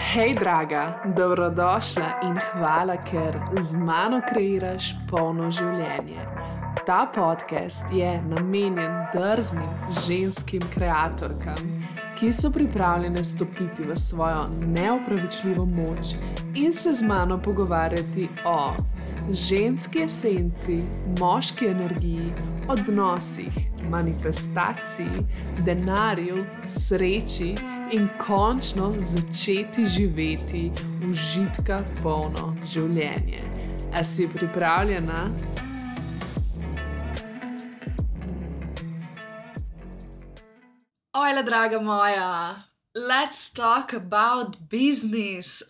Hej, draga, dobrodošla in hvala, ker z mano kreiraš polno življenje. Ta podcast je namenjen drznim ženskim kreatorkam, ki so pripravljene stopiti v svojo neopravičljivo moč in se z mano pogovarjati o ženski esenci, moški energiji, odnosih, manifestaciji, denarju, sreči in končno začeti živeti užitka polno življenje. A si pripravljena? Ojla, draga moja, let's talk about business.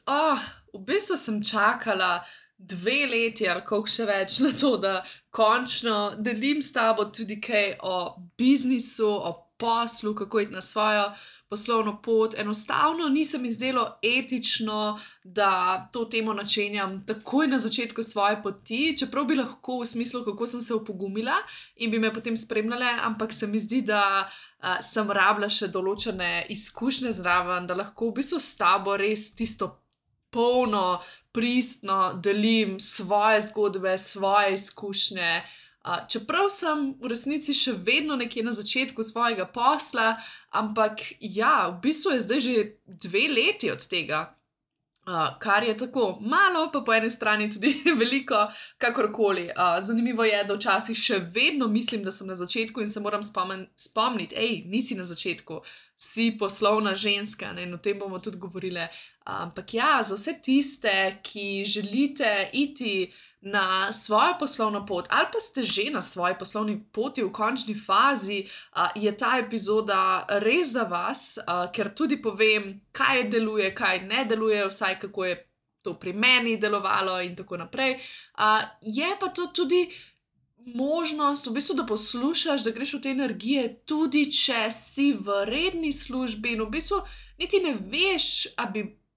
V bistvu sem čakala 2 leti ali koliko še več na to, da končno delim s tabo tudi kaj o biznisu, o poslu, kako iti na svojo poslovno pot. Enostavno ni se mi zdelo etično, da to temo načenjam takoj na začetku svoje poti, čeprav bi lahko v smislu, kako sem se opogumila in bi me potem spremljale, ampak se mi zdi, da sem rabila še določene izkušnje zraven, da lahko v bistvu s tabo res tisto polno, pristno delim svoje zgodbe, svoje izkušnje. Čeprav sem v resnici še vedno nekje na začetku svojega posla, ampak ja, v bistvu je zdaj že 2 leti od tega, kar je tako malo, pa po eni strani tudi veliko, kakorkoli. Zanimivo je, da včasih še vedno mislim, da sem na začetku in se moram spomniti, nisi na začetku, si poslovna ženska, ne? In o tem bomo tudi govorile. Ampak ja, za vse tiste, ki želite iti na svojo poslovno pot ali pa ste že na svoji poslovni poti v končni fazi, je ta epizoda res za vas, ker tudi povem, kaj deluje, kaj ne deluje, vsaj kako je to pri meni delovalo in tako naprej. Je pa to tudi možnost, v bistvu, da poslušaš, da greš v te energije, tudi če si v redni službi in v bistvu niti ne veš,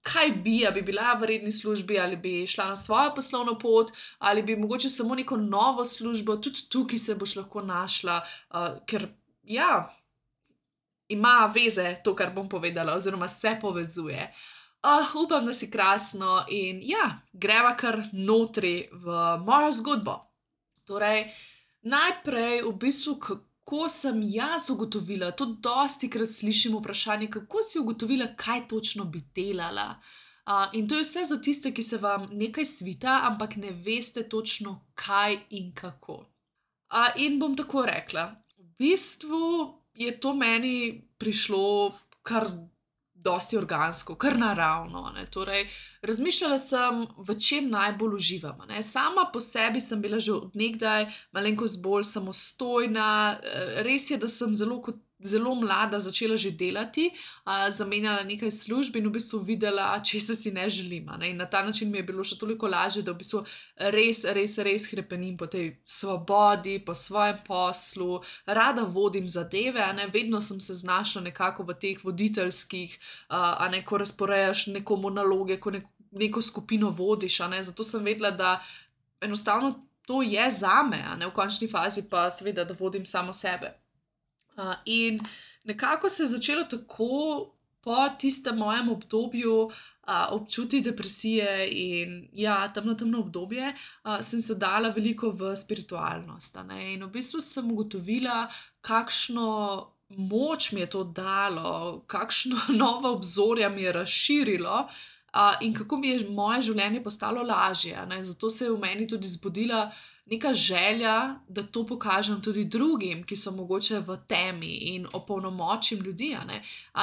kaj bi bila v redni službi, ali bi šla na svojo poslovno pot, ali bi mogoče samo neko novo službo, tudi tukaj se boš lahko našla, ker ja, ima veze to, kar bom povedala, oziroma se povezuje. Upam, da si krasno in ja, greva kar notri v mojo zgodbo. Torej, najprej v bistvu, kako sem jaz ugotovila, to dostikrat slišim vprašanje, kako si ugotovila, kaj točno bi delala. In to je vse za tiste, ki se vam nekaj svita, ampak ne veste točno kaj in kako. In bom tako rekla, v bistvu je to meni prišlo kar dosti organsko, kar naravno, ne. Torej, razmišljala sem, v čem najbolj uživam, ne. Sama po sebi sem bila že od nekdaj malenkost bolj samostojna, res je, da sem zelo mlada začela že delati, zamenjala nekaj služb in v bistvu videla, česa si ne želim, ne. In na ta način mi je bilo še toliko lažje, da v bistvu res hrepenim po tej svobodi, po svojem poslu, rada vodim zadeve, ne. Vedno sem se znašla nekako v teh voditeljskih, ko razporejaš nekomu naloge, ko neko skupino vodiš, ne. Zato sem vedela, da enostavno to je zame, v končni fazi pa seveda, da vodim samo sebe. In nekako se je začelo tako po tistem mojem obdobju občutiti depresije in ja, temno obdobje, sem se dala veliko v spiritualnost, ne. In v bistvu sem ugotovila, kakšno moč mi je to dalo, kakšno nova obzorja mi je razširilo, in kako mi je moje življenje postalo lažje, ne. Zato se je v meni tudi zbudila neka želja, da to pokažem tudi drugim, ki so mogoče v temi in opolnomočim ljudi, ne.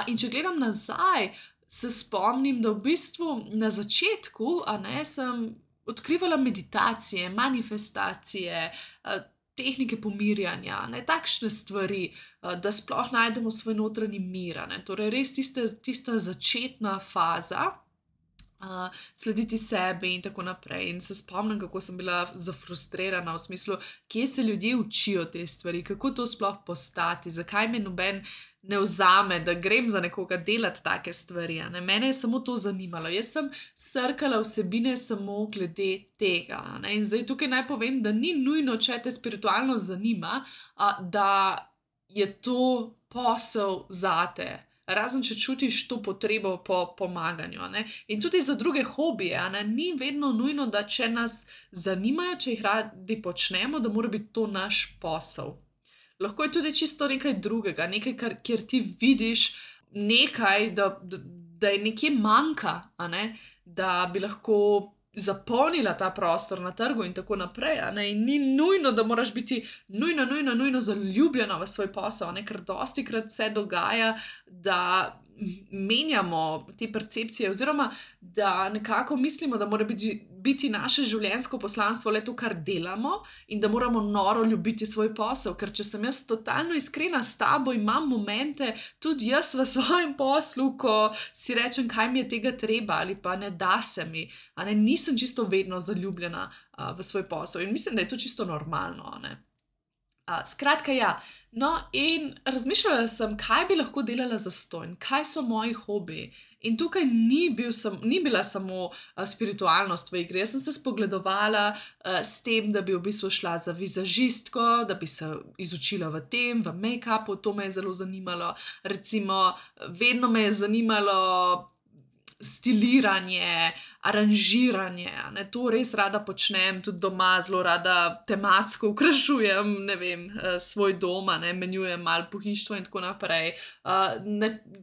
In če gledam nazaj, se spomnim, da v bistvu na začetku, sem odkrivala meditacije, manifestacije, tehnike pomirjanja, ne, takšne stvari, da sploh najdemo svoj notranji mir, ne. Torej res tista začetna faza, slediti sebi in tako naprej. In se spomnim, kako sem bila zafrustrirana v smislu, kje se ljudje učijo te stvari, kako to sploh postati, zakaj me noben ne vzame, da grem za nekoga delati take stvari, ne. Mene je samo to zanimalo. Jaz sem srkala vsebine samo glede tega, ne. In zdaj tukaj naj povem, da ni nujno, če te spiritualnost zanima, da je to posel zate. razen če čutiš to potrebo po pomaganju. A ne? In tudi za druge hobije, a ne? Ni vedno nujno, da če nas zanimajo, če jih radi počnemo, da mora biti to naš posel. Lahko je tudi čisto nekaj drugega, nekaj, kjer ti vidiš nekaj, da je nekje manjka, a ne? Da bi lahko zapolnila ta prostor na trgu in tako naprej. A ne? In ni nujno, da moraš biti nujno zaljubljena v svoj posel, a ne? Ker dostikrat se dogaja, da menjamo te percepcije oziroma da nekako mislimo, da mora biti naše življenjsko poslanstvo le to, kar delamo in da moramo noro ljubiti svoj posel, ker če sem jaz totalno iskrena s tabo, imam momente tudi jaz v svojem poslu, ko si rečem, kaj mi je tega treba ali pa ne da se mi, a ne, nisem čisto vedno zaljubljena v svoj posel in mislim, da je to čisto normalno, a ne. Skratka, ja. No, in razmišljala sem, kaj bi lahko delala zastonj, kaj so moji hobiji. In tukaj ni bila samo spiritualnost v igri. Jaz sem se spogledovala s tem, da bi v bistvu šla za vizažistko, da bi se izučila v tem, v make-upu, to me je zelo zanimalo. Recimo, vedno me je zanimalo stiliranje, aranžiranje, ne, to res rada počnem, tudi doma zelo rada tematsko okrašujem, ne vem, svoj dom, ne, menjujem malo pohištvo in tako naprej.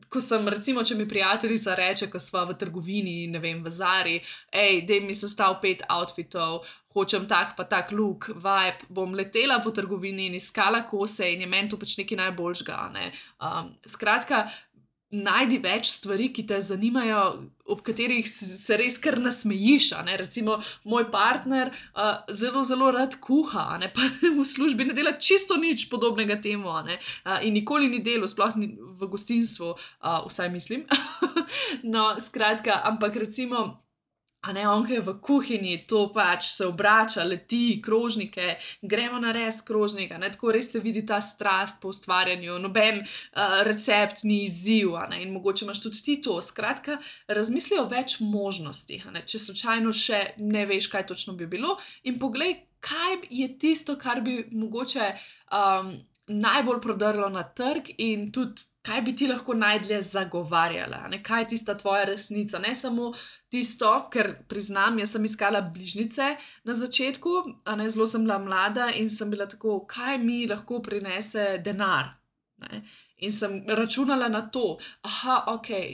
Ko sem, recimo, če mi prijateljica reče, ko sva v trgovini, ne vem, v Zari, daj mi sestav 5 outfitov, hočem tak pa tak look, vibe, bom letela po trgovini in iskala kose in je meni to pač nekaj najboljšega, ne. Skratka, najdi več stvari, ki te zanimajo, ob katerih se res kar nasmejiš, a ne, recimo moj partner zelo rad kuha, a ne, pa v službi ne dela čisto nič podobnega temu, a ne, in nikoli ni delal, sploh ni v gostinstvu, vsaj mislim, no, skratka, ampak recimo, a ne, on, ki je v kuhinji, to pač se obrača, leti, krožnike, gremo narediti krožnik, a ne, tako res se vidi ta strast po ustvarjanju, noben recept ni izziv, a ne, in mogoče imaš tudi ti to. Skratka, razmisli o več možnostih, a ne, če slučajno še ne veš, kaj točno bi bilo, in poglej, kaj je tisto, kar bi mogoče najbolj prodrlo na trg in tudi kaj bi ti lahko najdlje zagovarjala, ne? Kaj je tista tvoja resnica, ne samo tisto, ker priznam, jaz sem iskala bližnjice na začetku, a ne, zelo sem bila mlada in sem bila tako, kaj mi lahko prinese denar, ne? In sem računala na to,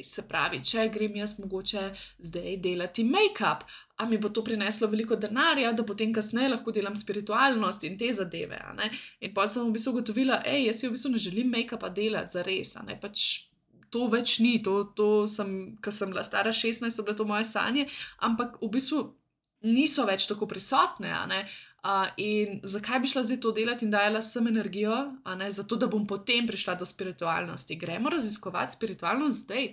se pravi, če grem jaz mogoče zdaj delati make-up, a mi bo to prineslo veliko denarja, da potem kasneje lahko delam spiritualnost in te zadeve, a ne. In potem sem v bistvu ugotovila, jaz si v bistvu ne želim make-upa delati zares, a ne, pač to več ni, to sem, ko sem bila stara 16, so bile to moje sanje, ampak v bistvu niso več tako prisotne, a ne. In zakaj bi šla zdaj to delati in dajala sem energijo, a ne, zato da bom potem prišla do spiritualnosti. Gremo raziskovati spiritualnost zdaj,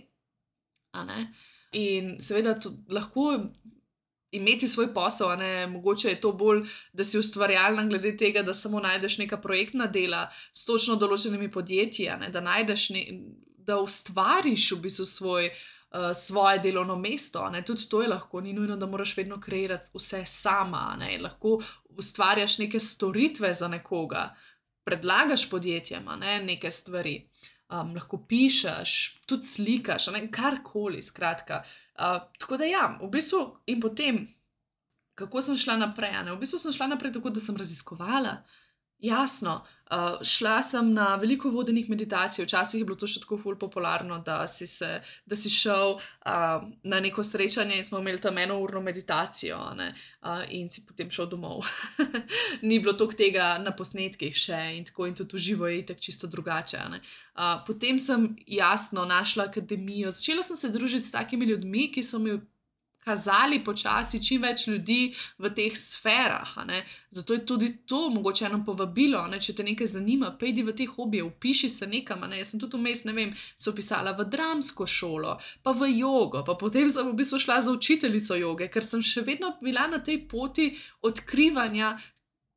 a ne. In seveda lahko imeti svoj posel, a ne, mogoče je to bolj, da si ustvarjalna glede tega, da samo najdeš neka projektna dela s točno določenimi podjetji, a ne, da najdeš, da ustvariš v bistvu svoje delovno mesto, a ne, tudi to je lahko, ni nujno, da moraš vedno kreirati vse sama, a ne, lahko ustvarjaš neke storitve za nekoga, predlagaš podjetjem, a ne, neke stvari, lahko pišeš, tudi slikaš, a ne, karkoli, skratka. Tako da ja, v bistvu in potem, kako sem šla naprej, a ne, v bistvu sem šla naprej tako, da sem raziskovala, jasno, šla sem na veliko vodenih meditacij, včasih je bilo to še tako ful popularno, da si šel na neko srečanje in smo imeli tam 1-urno meditacijo, a ne, in si potem šel domov. Ni bilo toliko tega na posnetkih še in tako, in tudi v živo je itak čisto drugače, a ne. Potem sem jasno našla akademijo, začela sem se družiti s takimi ljudmi, ki so mi kazali počasi čim več ljudi v teh sferah, a ne. Zato je tudi to mogoče eno povabilo, a ne, če te nekaj zanima, pejdi v te hobije, vpiši se nekam, a ne. Jaz sem tudi vmes, ne vem, se vpisala v dramsko šolo, pa v jogo, pa potem sem v bistvu šla za učiteljico joge, ker sem še vedno bila na tej poti odkrivanja,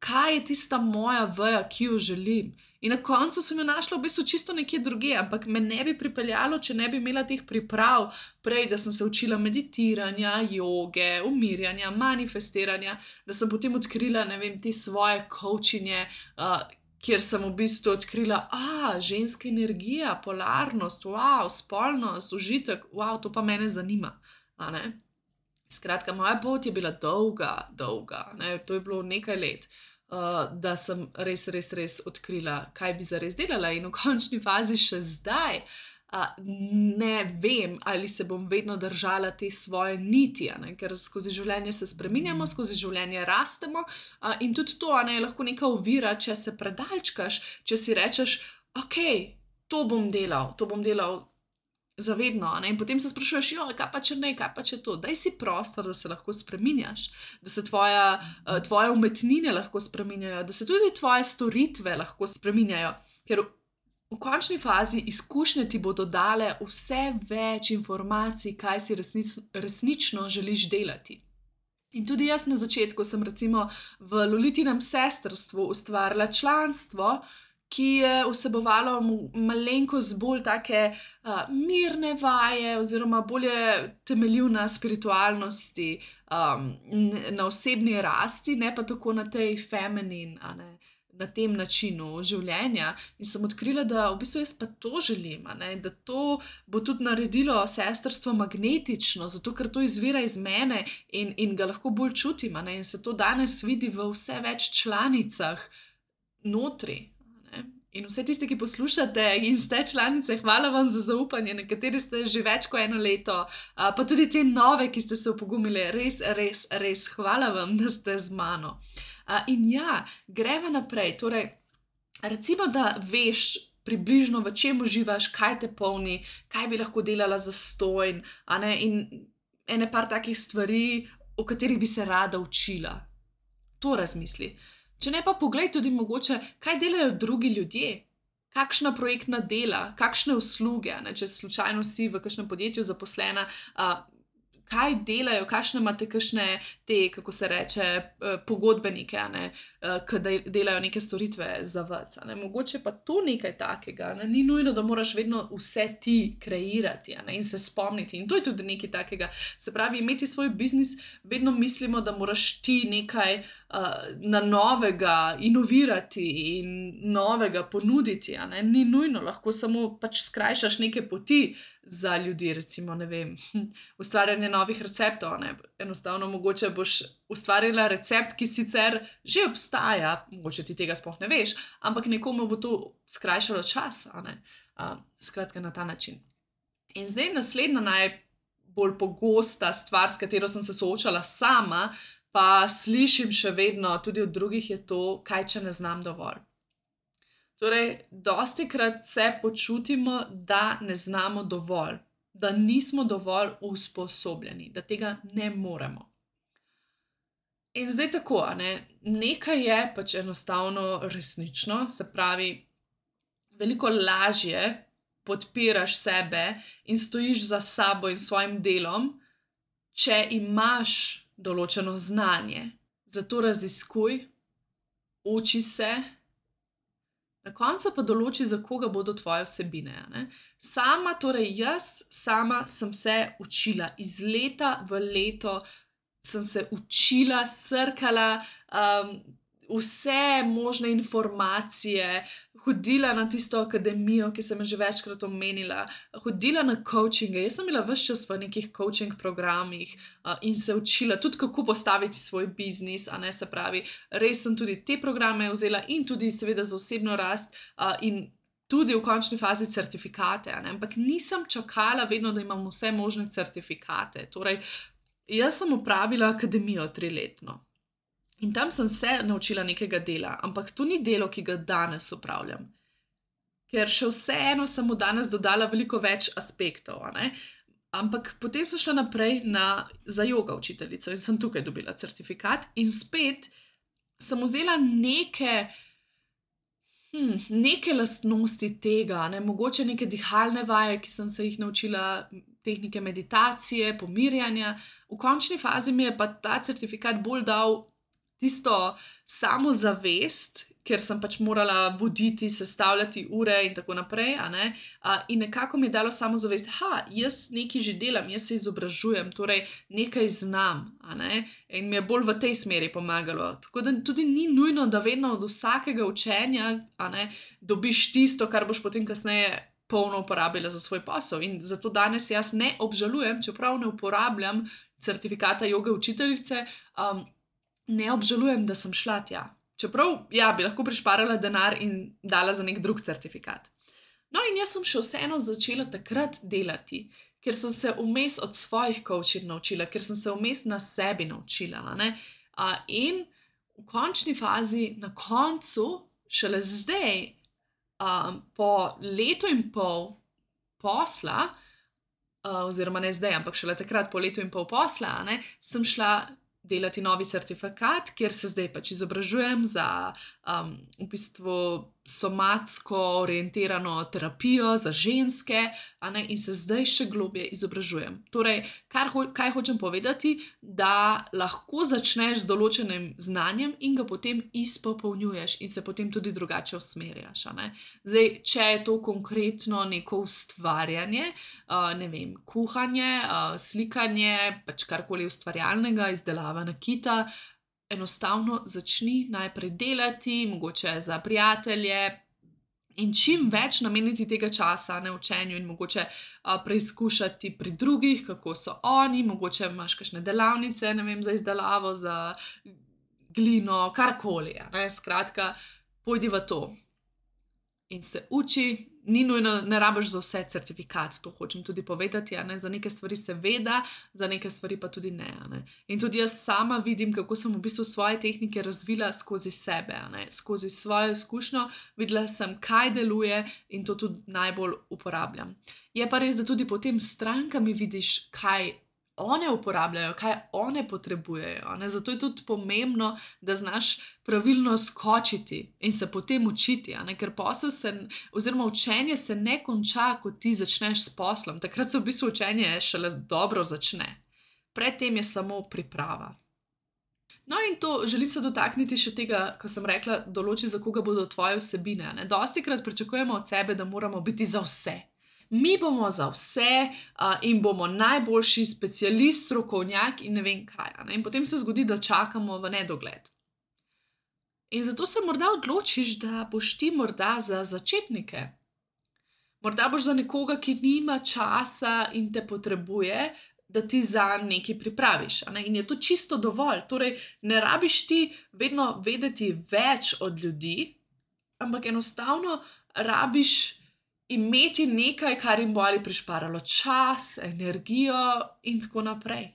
kaj je tista moja veja, ki jo želim. In na koncu sem jo našla v bistvu čisto nekje drugje, ampak me ne bi pripeljalo, če ne bi imela teh priprav prej, da sem se učila meditiranja, joge, umirjanja, manifestiranja, da sem potem odkrila, ne vem, te svoje coachinje, kjer sem v bistvu odkrila, ženska energija, polarnost, wow, spolnost, užitek, wow, to pa mene zanima, a ne. Skratka, moja pot je bila dolga, ne, to je bilo nekaj let, da sem res, res, res odkrila, kaj bi zares delala in v končni fazi še zdaj, ne vem, ali se bom vedno držala te svoje niti, a ne, ker skozi življenje se spreminjamo, skozi življenje rastemo, in tudi to, a ne, je lahko neka ovira, če se predalčkaš, če si rečeš, okej, to bom delal zavedno, a ne, in potem se sprašuješ, kaj pa če ne, kaj pa če to, daj si prostor, da se lahko spreminjaš, da se tvoje umetnine lahko spreminjajo, da se tudi tvoje storitve lahko spreminjajo, ker v končni fazi izkušnje ti bodo dale vse več informacij, kaj si resnično želiš delati. In tudi jaz na začetku sem recimo v Lolitinem sestrstvu ustvarila članstvo, ki je vsebovalo malenkost bolj take mirne vaje oziroma bolje temeljil na spiritualnosti, na osebni rasti, ne pa tako na tej feminin, a ne, na tem načinu življenja. In sem odkrila, da v bistvu jaz pa to želim, a ne, da to bo tudi naredilo sestrstvo magnetično, zato ker to izvira iz mene in ga lahko bolj čutim, a ne, in se to danes vidi v vse več članicah notri. In vse tisti, ki poslušate in ste članice, hvala vam za zaupanje, nekateri ste že več kot 1 leto, pa tudi te nove, ki ste se opogumili, res, res, res, hvala vam, da ste z mano. In ja, greva naprej, torej, recimo, da veš približno, v čem uživaš, kaj te polni, kaj bi lahko delala zastonj, a ne, in ene par takih stvari, o katerih bi se rada učila. To razmisli. Če ne pa poglej tudi mogoče, kaj delajo drugi ljudje, kakšna projektna dela, kakšne usluge, ne, če slučajno si v kakšnem podjetju zaposlena, kaj delajo, kakšne imate kakšne te, kako se reče, pogodbenike, a ne, ki delajo neke storitve za vas, a ne, mogoče pa to nekaj takega, ne, ni nujno, da moraš vedno vse ti kreirati, a ne, in se spomniti, in to je tudi nekaj takega, se pravi, imeti svoj biznis, vedno mislimo, da moraš ti nekaj na novega inovirati in novega ponuditi, a ne, ni nujno, lahko samo pač skrajšaš neke poti za ljudi, recimo, ne vem, ustvarjanje novih receptov, ne, enostavno mogoče boš ustvarila recept, ki sicer že obstaja, mogoče ti tega sploh ne veš, ampak nekomu bo to skrajšalo čas, a ne, skratka na ta način. In zdaj naslednja najbolj pogosta stvar, s katero sem se soočala sama, pa slišim še vedno tudi od drugih, je to, kaj če ne znam dovolj. Torej, dostikrat se počutimo, da ne znamo dovolj, da nismo dovolj usposobljeni, da tega ne moremo. In zdaj tako, a ne, nekaj je pač enostavno resnično, se pravi, veliko lažje podpiraš sebe in stojiš za sabo in svojim delom, če imaš določeno znanje. Zato raziskuj, uči se, na koncu pa določi, za koga bodo tvoje vsebine, a ne. Jaz sama sem se učila, iz leta v leto sem se učila, srkala, vse možne informacije, hodila na tisto akademijo, ki sem jo že večkrat omenila, hodila na coachinge, jaz sem bila ves čas v nekih coaching programih, in se učila tudi, kako postaviti svoj biznis, a ne, se pravi, res sem tudi te programe vzela in tudi seveda za osebno rast, in tudi v končni fazi certifikate, a ne, ampak nisem čakala vedno, da imam vse možne certifikate, torej, jaz sem opravila akademijo 3-letno. In tam sem se naučila nekega dela, ampak to ni delo, ki ga danes opravljam. Ker še vseeno sem mu danes dodala veliko več aspektov, a ne. Ampak potem sem šla naprej za joga učiteljico in sem tukaj dobila certifikat in spet sem vzela neke lastnosti tega, ne, mogoče neke dihalne vaje, ki sem se jih naučila, tehnike meditacije, pomirjanja. V končni fazi mi je pa ta certifikat bolj dal tisto samozavest, ker sem pač morala voditi, sestavljati ure in tako naprej. In nekako mi je dalo samozavest, jaz nekaj že delam, jaz se izobražujem, torej nekaj znam. In mi je bolj v tej smeri pomagalo. Tako da tudi ni nujno, da vedno od vsakega učenja dobiš tisto, kar boš potem kasneje polno uporabila za svoj posel. In zato danes jaz ne obžalujem, čeprav ne uporabljam certifikata joge učiteljice, ne obžalujem, da sem šla tja. Čeprav, bi lahko prišparala denar in dala za nek drug certifikat. No, in jaz sem še vseeno začela takrat delati, ker sem se vmes od svojih coaching naučila, ker sem se vmes na sebi naučila. In v končni fazi, na koncu, šele zdaj, po letu in pol posla, oziroma ne zdaj, ampak šele takrat po letu in pol posla, sem šla delati novi certifikat, kjer se zdaj pač izobražujem za v bistvu somatsko orientirano terapijo za ženske, in se zdaj še globje izobražujem. Torej, kaj hočem povedati, da lahko začneš z določenim znanjem in ga potem izpopolnjuješ in se potem tudi drugače usmerjaš. Zdaj, če je to konkretno neko ustvarjanje, ne vem, kuhanje, slikanje, pač karkoli ustvarjalnega, izdelava nakita, enostavno začni najprej delati, mogoče za prijatelje in čim več nameniti tega časa učenju in mogoče preizkušati pri drugih, kako so oni, mogoče imaš kakšne delavnice, ne vem, za izdelavo, za glino, karkoli. Skratka, pojdi v to in se uči. Ni nujno, ne rabiš za vse certifikat, to hočem tudi povedati, za neke stvari seveda, za neke stvari pa tudi ne. In tudi jaz sama vidim, kako sem v bistvu svoje tehnike razvila skozi sebe, skozi svojo izkušnjo, videla sem, kaj deluje in to tudi najbolj uporabljam. Je pa res, da tudi potem s strankami vidiš, kaj one uporabljajo, kaj one potrebujejo. Zato je tudi pomembno, da znaš pravilno skočiti in se potem učiti, ker oziroma učenje se ne konča, ko ti začneš s poslom. Takrat se v bistvu učenje šele dobro začne. Predtem je samo priprava. No, in to želim se dotakniti še tega, ko sem rekla, določi, za koga bodo tvoje vsebine. Dostikrat pričakujemo od sebe, da moramo biti za vse. Mi bomo za vse in bomo najboljši specialist, strokovnjak in ne vem kaj. In potem se zgodi, da čakamo v nedogled. In zato se morda odločiš, da boš ti morda za začetnike. Morda boš za nekoga, ki nima časa in te potrebuje, da ti zanj nekaj pripraviš. In je to čisto dovolj. Torej, ne rabiš ti vedno vedeti več od ljudi, ampak enostavno rabiš imeti nekaj, kar jim bo ali prišparalo čas, energijo in tako naprej.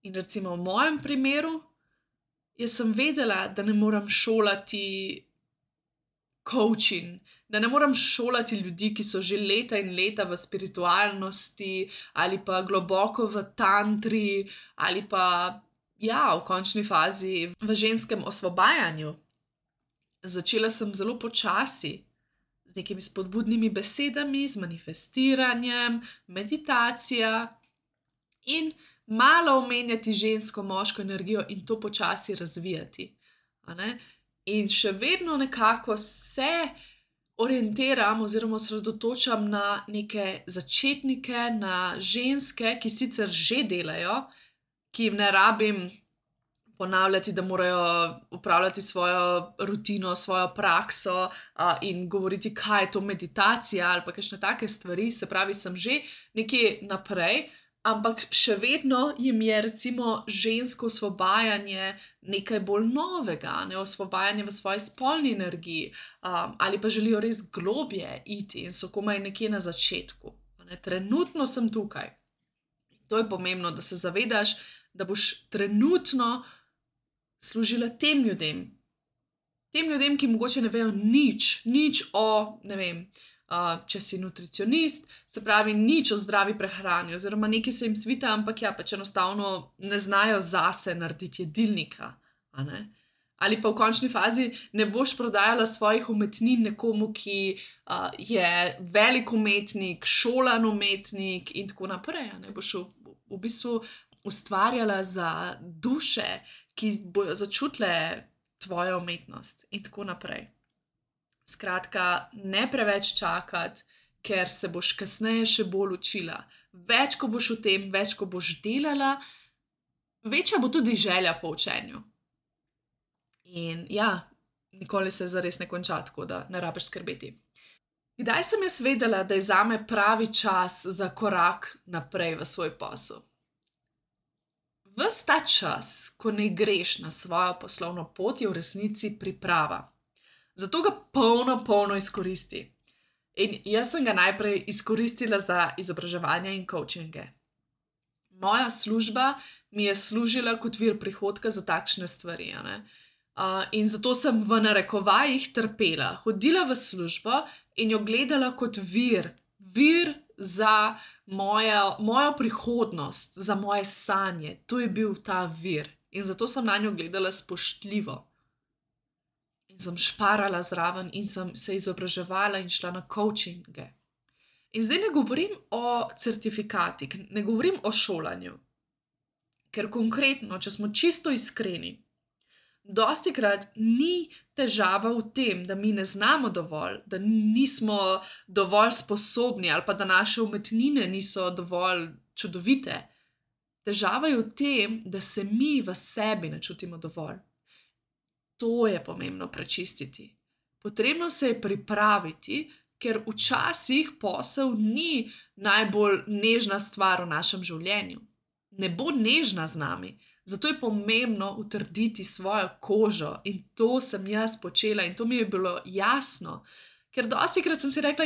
In recimo v mojem primeru, jaz sem vedela, da ne morem šolati coaching, da ne morem šolati ljudi, ki so že leta in leta v spiritualnosti ali pa globoko v tantri ali pa, v končni fazi v ženskem osvobajanju. Začela sem zelo počasi, z nekimi spodbudnimi besedami, z manifestiranjem, meditacija in malo omenjati žensko, moško energijo in to počasi razvijati. In še vedno nekako se orientiram oziroma osredotočam na neke začetnike, na ženske, ki sicer že delajo, ki jim ne rabim ponavljati, da morajo upravljati svojo rutino, svojo prakso in govoriti, kaj je to meditacija ali pa kakšne take stvari, se pravi, sem že nekje naprej, ampak še vedno jim je recimo žensko osvobajanje nekaj bolj novega, osvobajanje v svoji spolni energiji ali pa želijo res globje iti in so komaj nekje na začetku. Trenutno sem tukaj. To je pomembno, da se zavedaš, da boš trenutno služila tem ljudem. Tem ljudem, ki mogoče ne vejo nič o, ne vem, če si nutricionist, se pravi nič o zdravi prehrani, oziroma nekaj se jim svita, ampak pač enostavno ne znajo zase narediti jedilnika. Ali pa v končni fazi ne boš prodajala svojih umetnin nekomu, ki je velik umetnik, šolan umetnik in tako naprej. Boš v bistvu ustvarjala za duše, ki bojo začutile tvoja umetnost in tako naprej. Skratka, ne preveč čakati, ker se boš kasneje še bolj učila. Več, ko boš v tem, več, ko boš delala, večja bo tudi želja po učenju. In ja, nikoli se zares ne konča, tako da ne rabiš skrbeti. Kdaj sem jaz vedela, da je zame pravi čas za korak naprej v svoj posel? Ves ta čas, ko ne greš na svojo poslovno pot, je v resnici priprava. Zato ga polno izkoristi. In jaz sem ga najprej izkoristila za izobraževanje in coachinge. Moja služba mi je služila kot vir prihodka za takšne stvari, a ne. In zato sem v narekovajih trpela. Hodila v službo in jo gledala kot vir za mojo prihodnost, za moje sanje. To je bil ta vir. In zato sem nanjo gledala spoštljivo. In sem šparala zraven in sem se izobraževala in šla na coachinge. In zdaj ne govorim o certifikatih, ne govorim o šolanju. Ker konkretno, če smo čisto iskreni, dostikrat ni težava v tem, da mi ne znamo dovolj, da nismo dovolj sposobni ali pa da naše umetnine niso dovolj čudovite. Težava je v tem, da se mi v sebi ne čutimo dovolj. To je pomembno prečistiti. Potrebno se je pripraviti, ker včasih posel ni najbolj nežna stvar v našem življenju. Ne bo nežna z nami. Zato je pomembno utrditi svojo kožo in to sem jaz počela in to mi je bilo jasno. Ker dostikrat sem si rekla,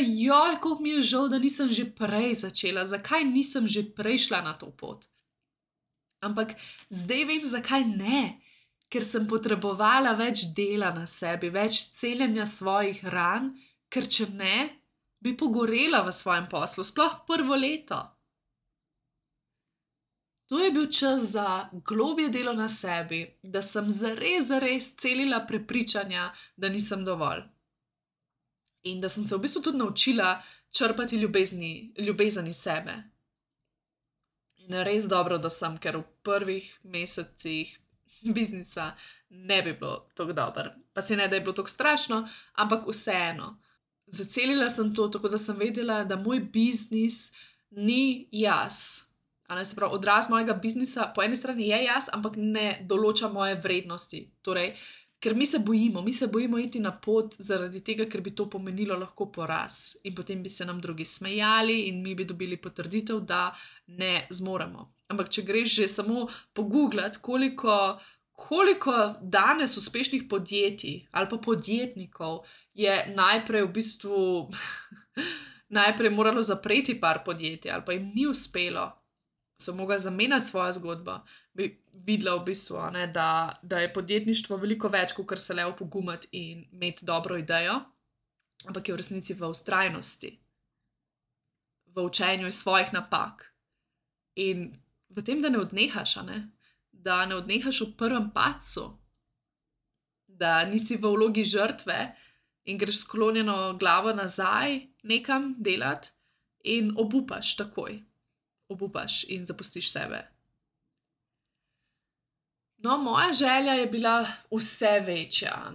koliko mi je žal, da nisem že prej začela, zakaj nisem že prej šla na to pot. Ampak zdaj vem, zakaj ne. Ker sem potrebovala več dela na sebi, več celjenja svojih ran, ker če ne, bi pogorela v svojem poslu, sploh prvo leto. To je bil čas za globje delo na sebi, da sem zares celila prepričanja, da nisem dovolj. In da sem se v bistvu tudi naučila črpati ljubezen iz sebe. In res dobro, da sem, ker v prvih mesecih biznisa ne bi bilo tako dobro. Pa se ne, da je bilo tako strašno, ampak vseeno. Zacelila sem to, tako da sem vedela, da moj biznis ni jaz. Se pravi, odraz mojega biznisa po eni strani je jaz, ampak ne določa moje vrednosti. Torej, ker mi se bojimo iti na pot zaradi tega, ker bi to pomenilo lahko poraz. In potem bi se nam drugi smejali in mi bi dobili potrditev, da ne zmoremo. Ampak če greš že samo pogooglati, koliko danes uspešnih podjetij ali pa podjetnikov je najprej v bistvu najprej moralo zapreti par podjetij ali pa jim ni uspelo, so mogli zamenjati svojo zgodbo, bi videla v bistvu, da je podjetništvo veliko več, kot se le opogumati in imeti dobro idejo, ampak je v resnici v vztrajnosti, v učenju iz svojih napak in v tem, da ne odnehaš, da ne odnehaš v prvem padcu, da nisi v vlogi žrtve in greš sklonjeno glavo nazaj nekam delati in obupaš takoj. Obupaš in zapustiš sebe. No, moja želja je bila vse večja,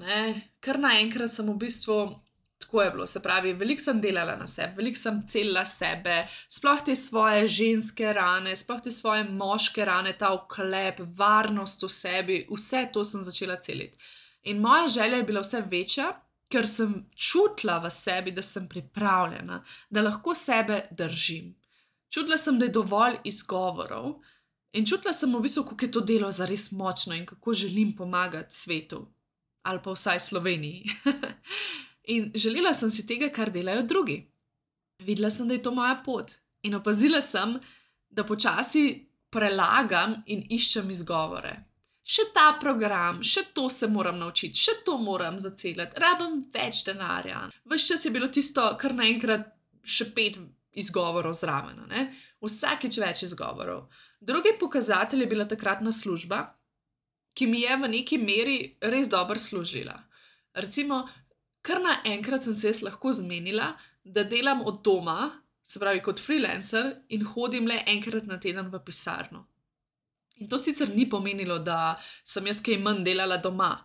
Kar naenkrat sem v bistvu, tako je bilo, se pravi, veliko sem delala na sebi, veliko sem celila sebe, sploh te svoje ženske rane, sploh te svoje moške rane, ta oklep, varnost v sebi, vse to sem začela celiti. In moja želja je bila vse večja, ker sem čutila v sebi, da sem pripravljena, da lahko sebe držim. Čutila sem, da je dovolj izgovorov in čutila sem v bistvu, kako je to delo zares močno in kako želim pomagati svetu. Ali pa vsaj Sloveniji. In želela sem si tega, kar delajo drugi. Videla sem, da je to moja pot. In opazila sem, da počasi prelagam in iščem izgovore. Še ta program, še to se moram naučiti, še to moram zaceliti, rabim več denarja. Ves čas je bilo tisto, kar naenkrat še 5 izgovorov zraven, Vsakič več izgovorov. Drugi pokazatelj je bila takratna služba, ki mi je v neki meri res dobro služila. Recimo, kar naenkrat sem se jaz lahko zmenila, da delam od doma, se pravi kot freelancer, in hodim le enkrat na teden v pisarno. In to sicer ni pomenilo, da sem jaz kaj manj delala doma,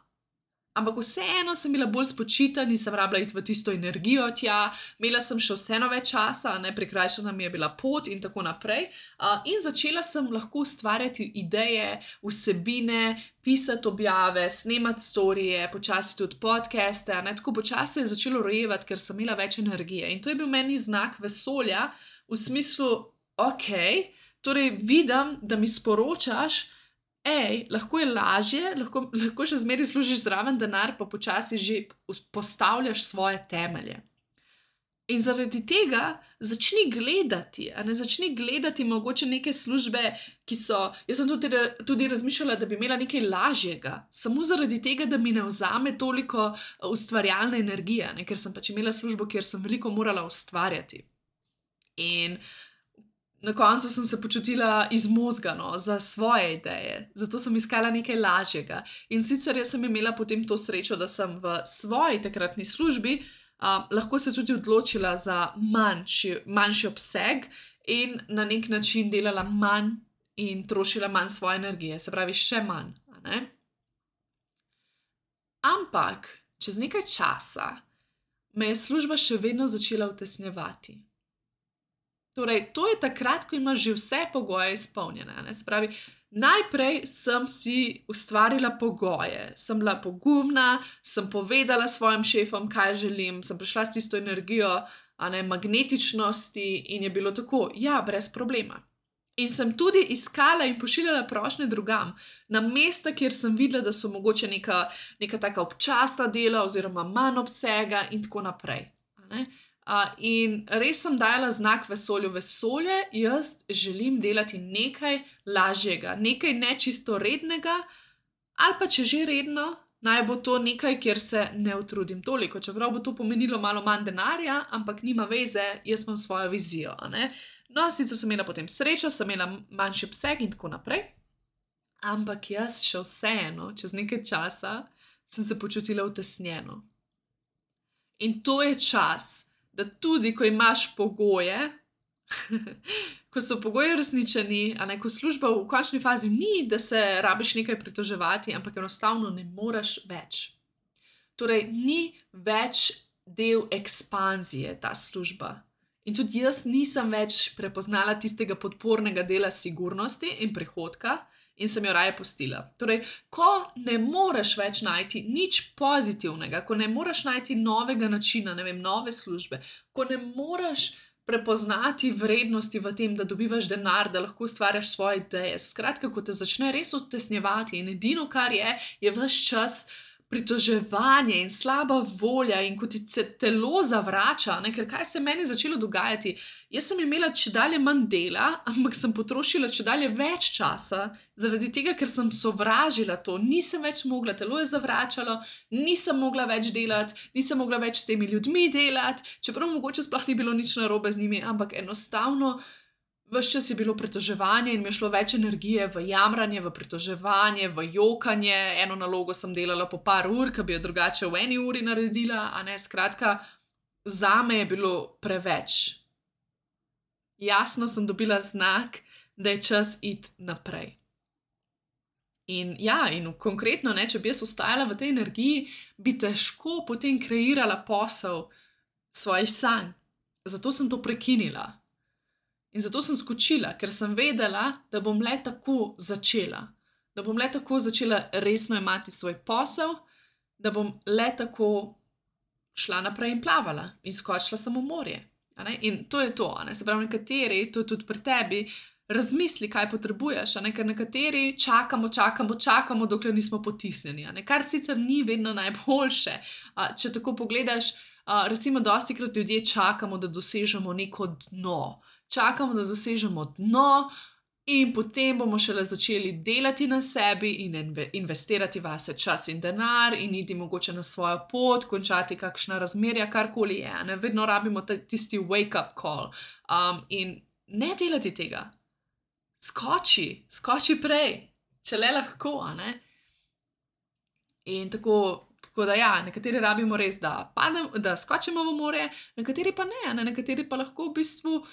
ampak vseeno sem bila bolj spočita, nisem rabila iti v tisto energijo tja, imela sem še vseeno več časa, prikrajšana mi je bila pot in tako naprej. In začela sem lahko ustvarjati ideje, vsebine, pisati objave, snemati storije, počasi tudi podcaste, tako počasi je začelo rojevati, ker sem imela več energije. In to je bil meni znak vesolja v smislu, ok, torej vidim, da mi sporočaš, lahko je lažje, lahko še zmeraj služiš zraven denar, pa počasi že postavljaš svoje temelje. In zaradi tega začni gledati mogoče neke službe, ki so, jaz sem tudi razmišljala, da bi imela nekaj lažjega, samo zaradi tega, da mi ne vzame toliko ustvarjalne energije, ker sem pač imela službo, kjer sem veliko morala ustvarjati. In na koncu sem se počutila izmozgano za svoje ideje, zato sem iskala nekaj lažjega. In sicer jaz sem imela potem to srečo, da sem v svoji takratni službi lahko se tudi odločila za manjši obseg in na nek način delala manj in trošila manj svoje energije, se pravi še manj. Ampak čez nekaj časa me je služba še vedno začela utesnjevati. Torej, to je takrat, ko imaš že vse pogoje izpolnjene. Se pravi, najprej sem si ustvarila pogoje, sem bila pogumna, sem povedala svojim šefom, kaj želim, sem prišla s tisto energijo magnetičnosti in je bilo tako, ja, brez problema. In sem tudi iskala in pošiljala prošnje drugam, na mesta, kjer sem videla, da so mogoče neka taka občasna dela oziroma manj obsega in tako naprej. In res sem dajala znak vesolju, vesolje, jaz želim delati nekaj lažjega, nekaj nečisto rednega, ali pa če že redno, naj bo to nekaj, kjer se ne utrudim toliko, čeprav bo to pomenilo malo manj denarja, ampak nima veze, jaz imam svojo vizijo. No, sicer sem imela potem srečo, sem imela manjši obseg in tako naprej, ampak jaz še vseeno, čez nekaj časa, sem se počutila utesnjeno. In to je čas, da tudi, ko imaš pogoje, ko so pogoji uresničeni, ko služba v končni fazi ni, da se rabiš nekaj pritoževati, ampak enostavno ne moreš več. Torej, ni več del ekspanzije ta služba. In tudi jaz nisem več prepoznala tistega podpornega dela sigurnosti in prihodka, in sem jo raje pustila. Torej, ko ne moreš več najti nič pozitivnega, ko ne moreš najti novega načina, nove službe, ko ne moreš prepoznati vrednosti v tem, da dobivaš denar, da lahko ustvarjaš svoje ideje. Skratka, ko te začne res utesnjevati in edino, kar je ves čas pritoževanje in slaba volja in ko ti telo zavrača, ker kaj se meni začelo dogajati? Jaz sem imela čedalje manj dela, ampak sem potrošila čedalje več časa, zaradi tega, ker sem sovražila to, nisem več mogla, telo je zavračalo, nisem mogla več delati, nisem mogla več s temi ljudmi delati, čeprav mogoče sploh ni bilo nič narobe z njimi, ampak enostavno ves čas je bilo pritoževanje in mi je šlo več energije v jamranje, v pritoževanje, v jokanje. Eno nalogo sem delala po par ur, ki bi jo drugače v 1 uri naredila, skratka, zame je bilo preveč. Jasno sem dobila znak, da je čas iti naprej. In konkretno, če bi jaz ostajala v tej energiji, bi težko potem kreirala posel svojih sanj. Zato sem to prekinila. In zato sem skočila, ker sem vedela, da bom le tako začela. Da bom le tako začela resno jemati svoj posel, da bom le tako šla naprej in plavala in skočila sem v morje. In to je to. Se pravi, nekateri, to je tudi pri tebi, razmisli, kaj potrebuješ, ker nekateri čakamo, dokler nismo potisnjeni, kar sicer ni vedno najboljše. Če tako pogledaš, recimo dostikrat ljudje čakamo, da dosežemo neko dno. Čakamo, da dosežemo dno in potem bomo šele začeli delati na sebi in investirati vase čas in denar in iti mogoče na svojo pot, končati kakšna razmerja, karkoli je. Vedno rabimo tisti wake-up call. In ne delati tega. Skoči prej, če le lahko. In tako da nekateri rabimo res, da skočimo v morje, nekateri pa ne. Nekateri pa lahko v bistvu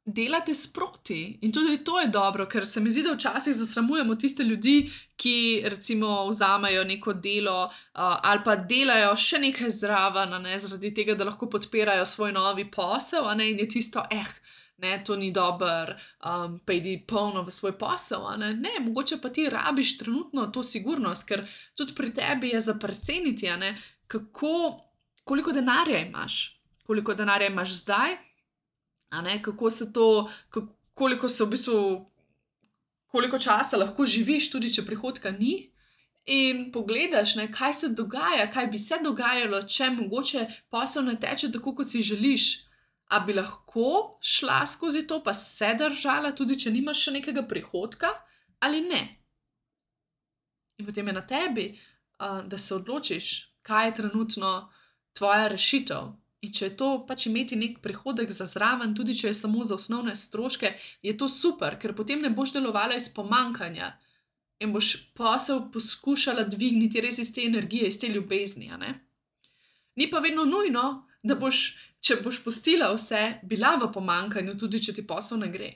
delate sproti. In tudi to je dobro, ker se mi zdi, da včasih zasramujemo tiste ljudi, ki recimo vzamejo neko delo ali pa delajo še nekaj zraven, a ne, zaradi tega, da lahko podpirajo svoj novi posel, a ne, in je tisto, ne, to ni dobro, pa idi polno v svoj posel, a ne. Ne, mogoče pa ti rabiš trenutno to sigurnost, ker tudi pri tebi je za preceniti, a ne, koliko denarja imaš zdaj, a ne, kako se to, koliko se v bistvu, koliko časa lahko živiš, tudi če prihodka ni. In pogledaš, ne, kaj se dogaja, kaj bi se dogajalo, če mogoče posel ne teče tako, kot si želiš. A bi lahko šla skozi to, pa se držala, tudi če nimaš še nekega prihodka, ali ne? In potem je na tebi, da se odločiš, kaj je trenutno tvoja rešitev. In če je to pač imeti nek prihodek za zraven, tudi če je samo za osnovne stroške, je to super, ker potem ne boš delovala iz pomanjkanja in boš posel poskušala dvigniti res iz te energije, iz te ljubezni, a ne? Ni pa vedno nujno, da boš, če boš pustila vse, bila v pomanjkanju, tudi če ti posel ne gre.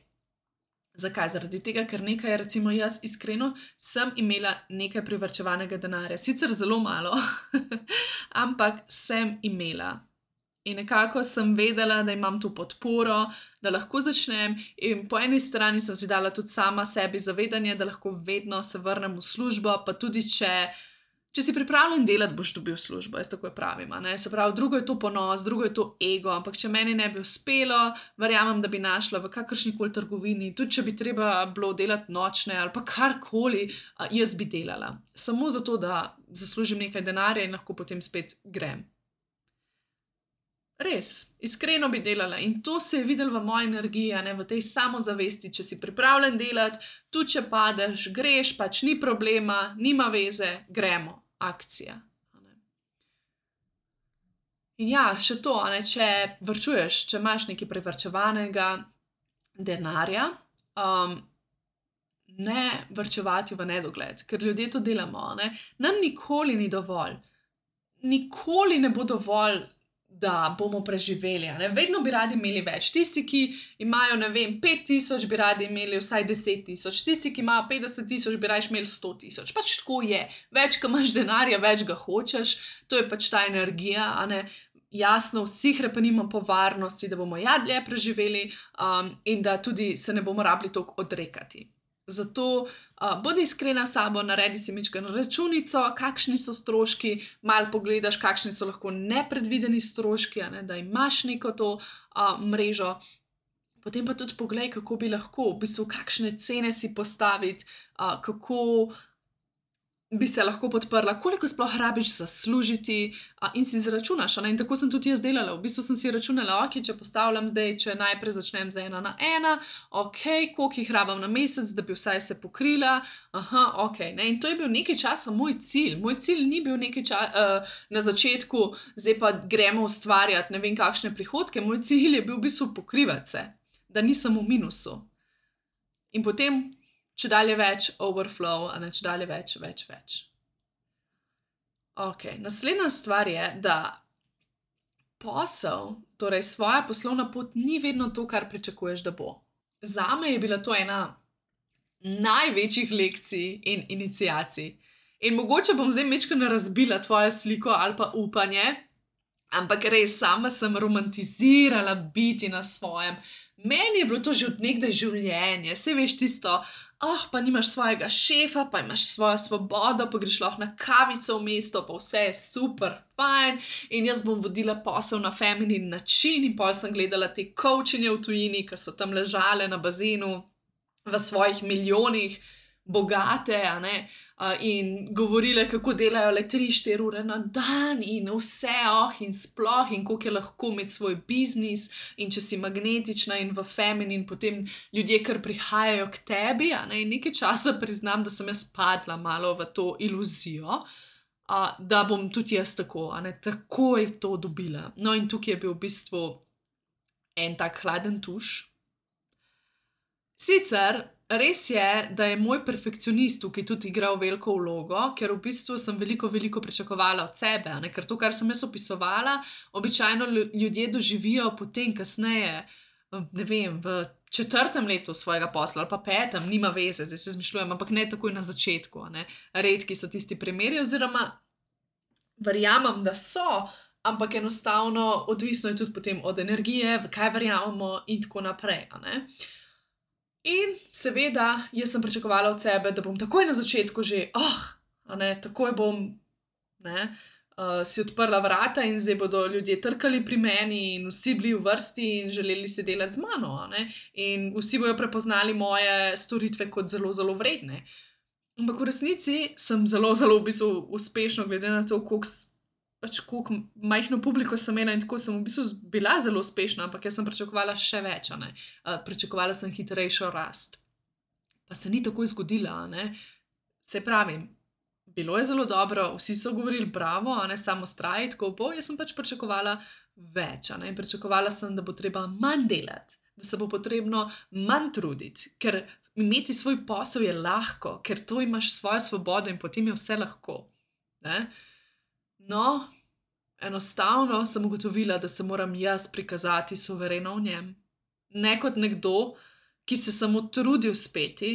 Zakaj? Zaradi tega, ker nekaj, recimo jaz iskreno, sem imela nekaj privarčevanega denarja. Sicer zelo malo, ampak sem imela. In nekako sem vedela, da imam to podporo, da lahko začnem, in po eni strani sem si dala tudi sama sebi zavedanje, da lahko vedno se vrnem v službo, pa tudi če si pripravljen delati, boš dobil službo, jaz tako pravim, a ne. Se pravi, drugo je to ponos, drugo je to ego, ampak če meni ne bi uspelo, verjamem, da bi našla v kakršnikoli trgovini, tudi če bi treba bilo delati nočne ali pa karkoli, jaz bi delala. Samo zato, da zaslužim nekaj denarja in lahko potem spet grem. Res, iskreno bi delala in to se je videlo v moji energiji, a ne, v tej samozavesti, če si pripravljen delati, tudi če padeš, greš, pač ni problema, nima veze, gremo, akcija. A ne. In ja, še to, a ne, če varčuješ, če imaš nekaj privarčevanega denarja, ne varčevati v nedogled, ker ljudje to delamo, a ne. Nam nikoli ni dovolj. Nikoli ne bo dovolj, da bomo preživeli, a ne. Vedno bi radi imeli več. Tisti, ki imajo, ne vem, 5.000, bi radi imeli vsaj 10.000. Tisti, ki imajo 50.000, bi rajši imeli 100.000. Pač tako je. Več, ko imaš denarja, več ga hočeš. To je pač ta energija, a ne. Jasno, vsi hrepenimo po varnosti, da bomo dlje preživeli, in da tudi se ne bomo rabili toliko odrekati. Zato bodi iskrena s sabo, naredi si majčkeno računico, kakšni so stroški, malo pogledaš, kakšni so lahko nepredvideni stroški, a ne, da imaš neko to mrežo. Potem pa tudi poglej, kako bi lahko, v bistvu, kakšne cene si postaviti, kako bi se lahko podprla, koliko sploh rabiš zaslužiti, in si izračunaš, a ne. In tako sem tudi jaz delala. V bistvu sem si računala, okej, če postavljam zdaj, če najprej začnem z 1 na 1, okej, koliko jih rabim na mesec, da bi vsaj se pokrila, okej, ne. In to je bil nekaj časa moj cilj. Moj cilj ni bil na začetku, zdaj pa gremo ustvarjati ne vem kakšne prihodke, moj cilj je bil v bistvu pokrivati se, da nisem v minusu. In potem čedalje več overflow, a ne, čedalje več. Okej, naslednja stvar je, da posel, torej svoja poslovna pot, ni vedno to, kar pričakuješ, da bo. Zame je bila to ena največjih lekcij in iniciacij. In mogoče bom zdaj majčkeno razbila tvojo sliko ali pa upanje, ampak res, sama sem romantizirala biti na svojem. Meni je bilo to že od nekdaj življenje, saj veš tisto, pa nimaš svojega šefa, pa imaš svojo svobodo, pa greš lahko na kavico v mesto, pa vse je super fajn in jaz bom vodila posel na feminin način in pol sem gledala te coachinje v tujini, ki so tam ležale na bazenu v svojih milijonih, bogate, a ne, in govorile, kako delajo le 3-4 ure na dan in vse, in sploh, in koliko je lahko imeti svoj biznis, in če si magnetična in v feminin, potem ljudje kar prihajajo k tebi, a ne, in nekaj časa priznam, da sem jaz padla malo v to iluzijo, da bom tudi jaz tako, a ne, takoj to dobila. No, in tukaj je bil v bistvu en tak hladen tuš. Sicer res je, da je moj perfekcionist tukaj tudi igral veliko vlogo, ker v bistvu sem veliko pričakovala od sebe, a ne, ker to, kar sem jaz opisovala, običajno ljudje doživijo potem kasneje, ne vem, v 4. letu svojega posla ali pa 5., nima veze, zdaj se izmišljujem, ampak ne takoj na začetku. A ne. Redki so tisti primeri, oziroma verjamem, da so, ampak enostavno odvisno je tudi potem od energije, v kaj verjamemo in tako naprej. A ne. In seveda, jaz sem pričakovala od sebe, da bom takoj na začetku že, a ne, takoj bom, ne, si odprla vrata in zdaj bodo ljudje trkali pri meni in vsi bili v vrsti in želeli se delati z mano, a ne. In vsi bojo prepoznali moje storitve kot zelo, zelo vredne. Ampak v resnici sem zelo, zelo v bistvu uspešno, glede na to, koliko majhno publiko sem imela in tako sem v bistvu bila zelo uspešna, ampak jaz sem pričakovala še več, a ne. Pričakovala sem hitrejšo rast. Pa se ni takoj zgodila, a ne. Saj pravim, bilo je zelo dobro, vsi so govorili bravo, a ne, samo vztraji, tako bo, jaz sem pač pričakovala več, a ne. Pričakovala sem, da bo treba manj delati, da se bo potrebno manj truditi, ker imeti svoj posel je lahko, ker to imaš svojo svobodo in potem je vse lahko, ne. No, enostavno sem ugotovila, da se moram jaz prikazati suvereno v njem. Ne kot nekdo, ki se samo trudi uspeti,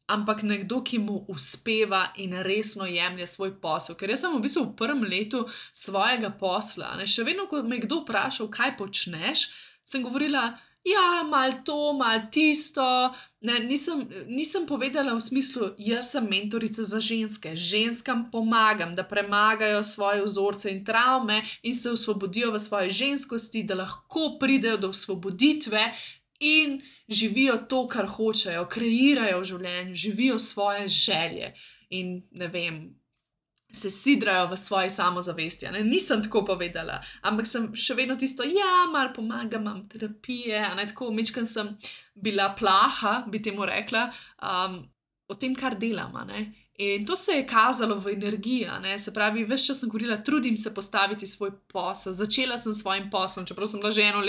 ampak nekdo, ki mu uspeva in resno jemlje svoj posel. Ker jaz sem v bistvu v 1. letu svojega posla, ne, še vedno, ko me je kdo vprašal, kaj počneš, sem govorila, ja, malo to, malo tisto. Ne, nisem povedala v smislu, jaz sem mentorica za ženske, ženskam pomagam, da premagajo svoje vzorce in travme in se osvobodijo v svoji ženskosti, da lahko pridejo do osvoboditve in živijo to, kar hočejo, kreirajo v življenju, živijo svoje želje in, ne vem, se sidrajo v svoji samozavesti. Ne? Nisem tako povedala, ampak sem še vedno tisto, ja, malo pomagam, imam terapije, a ne, tako majčkeno sem bila plaha, bi temu rekla, o tem, kar delam, a ne. In to se je kazalo v energiji, a ne, se pravi, ves čas sem govorila, trudim se postaviti svoj posel, začela sem s svojim poslom, čeprav sem bila že 1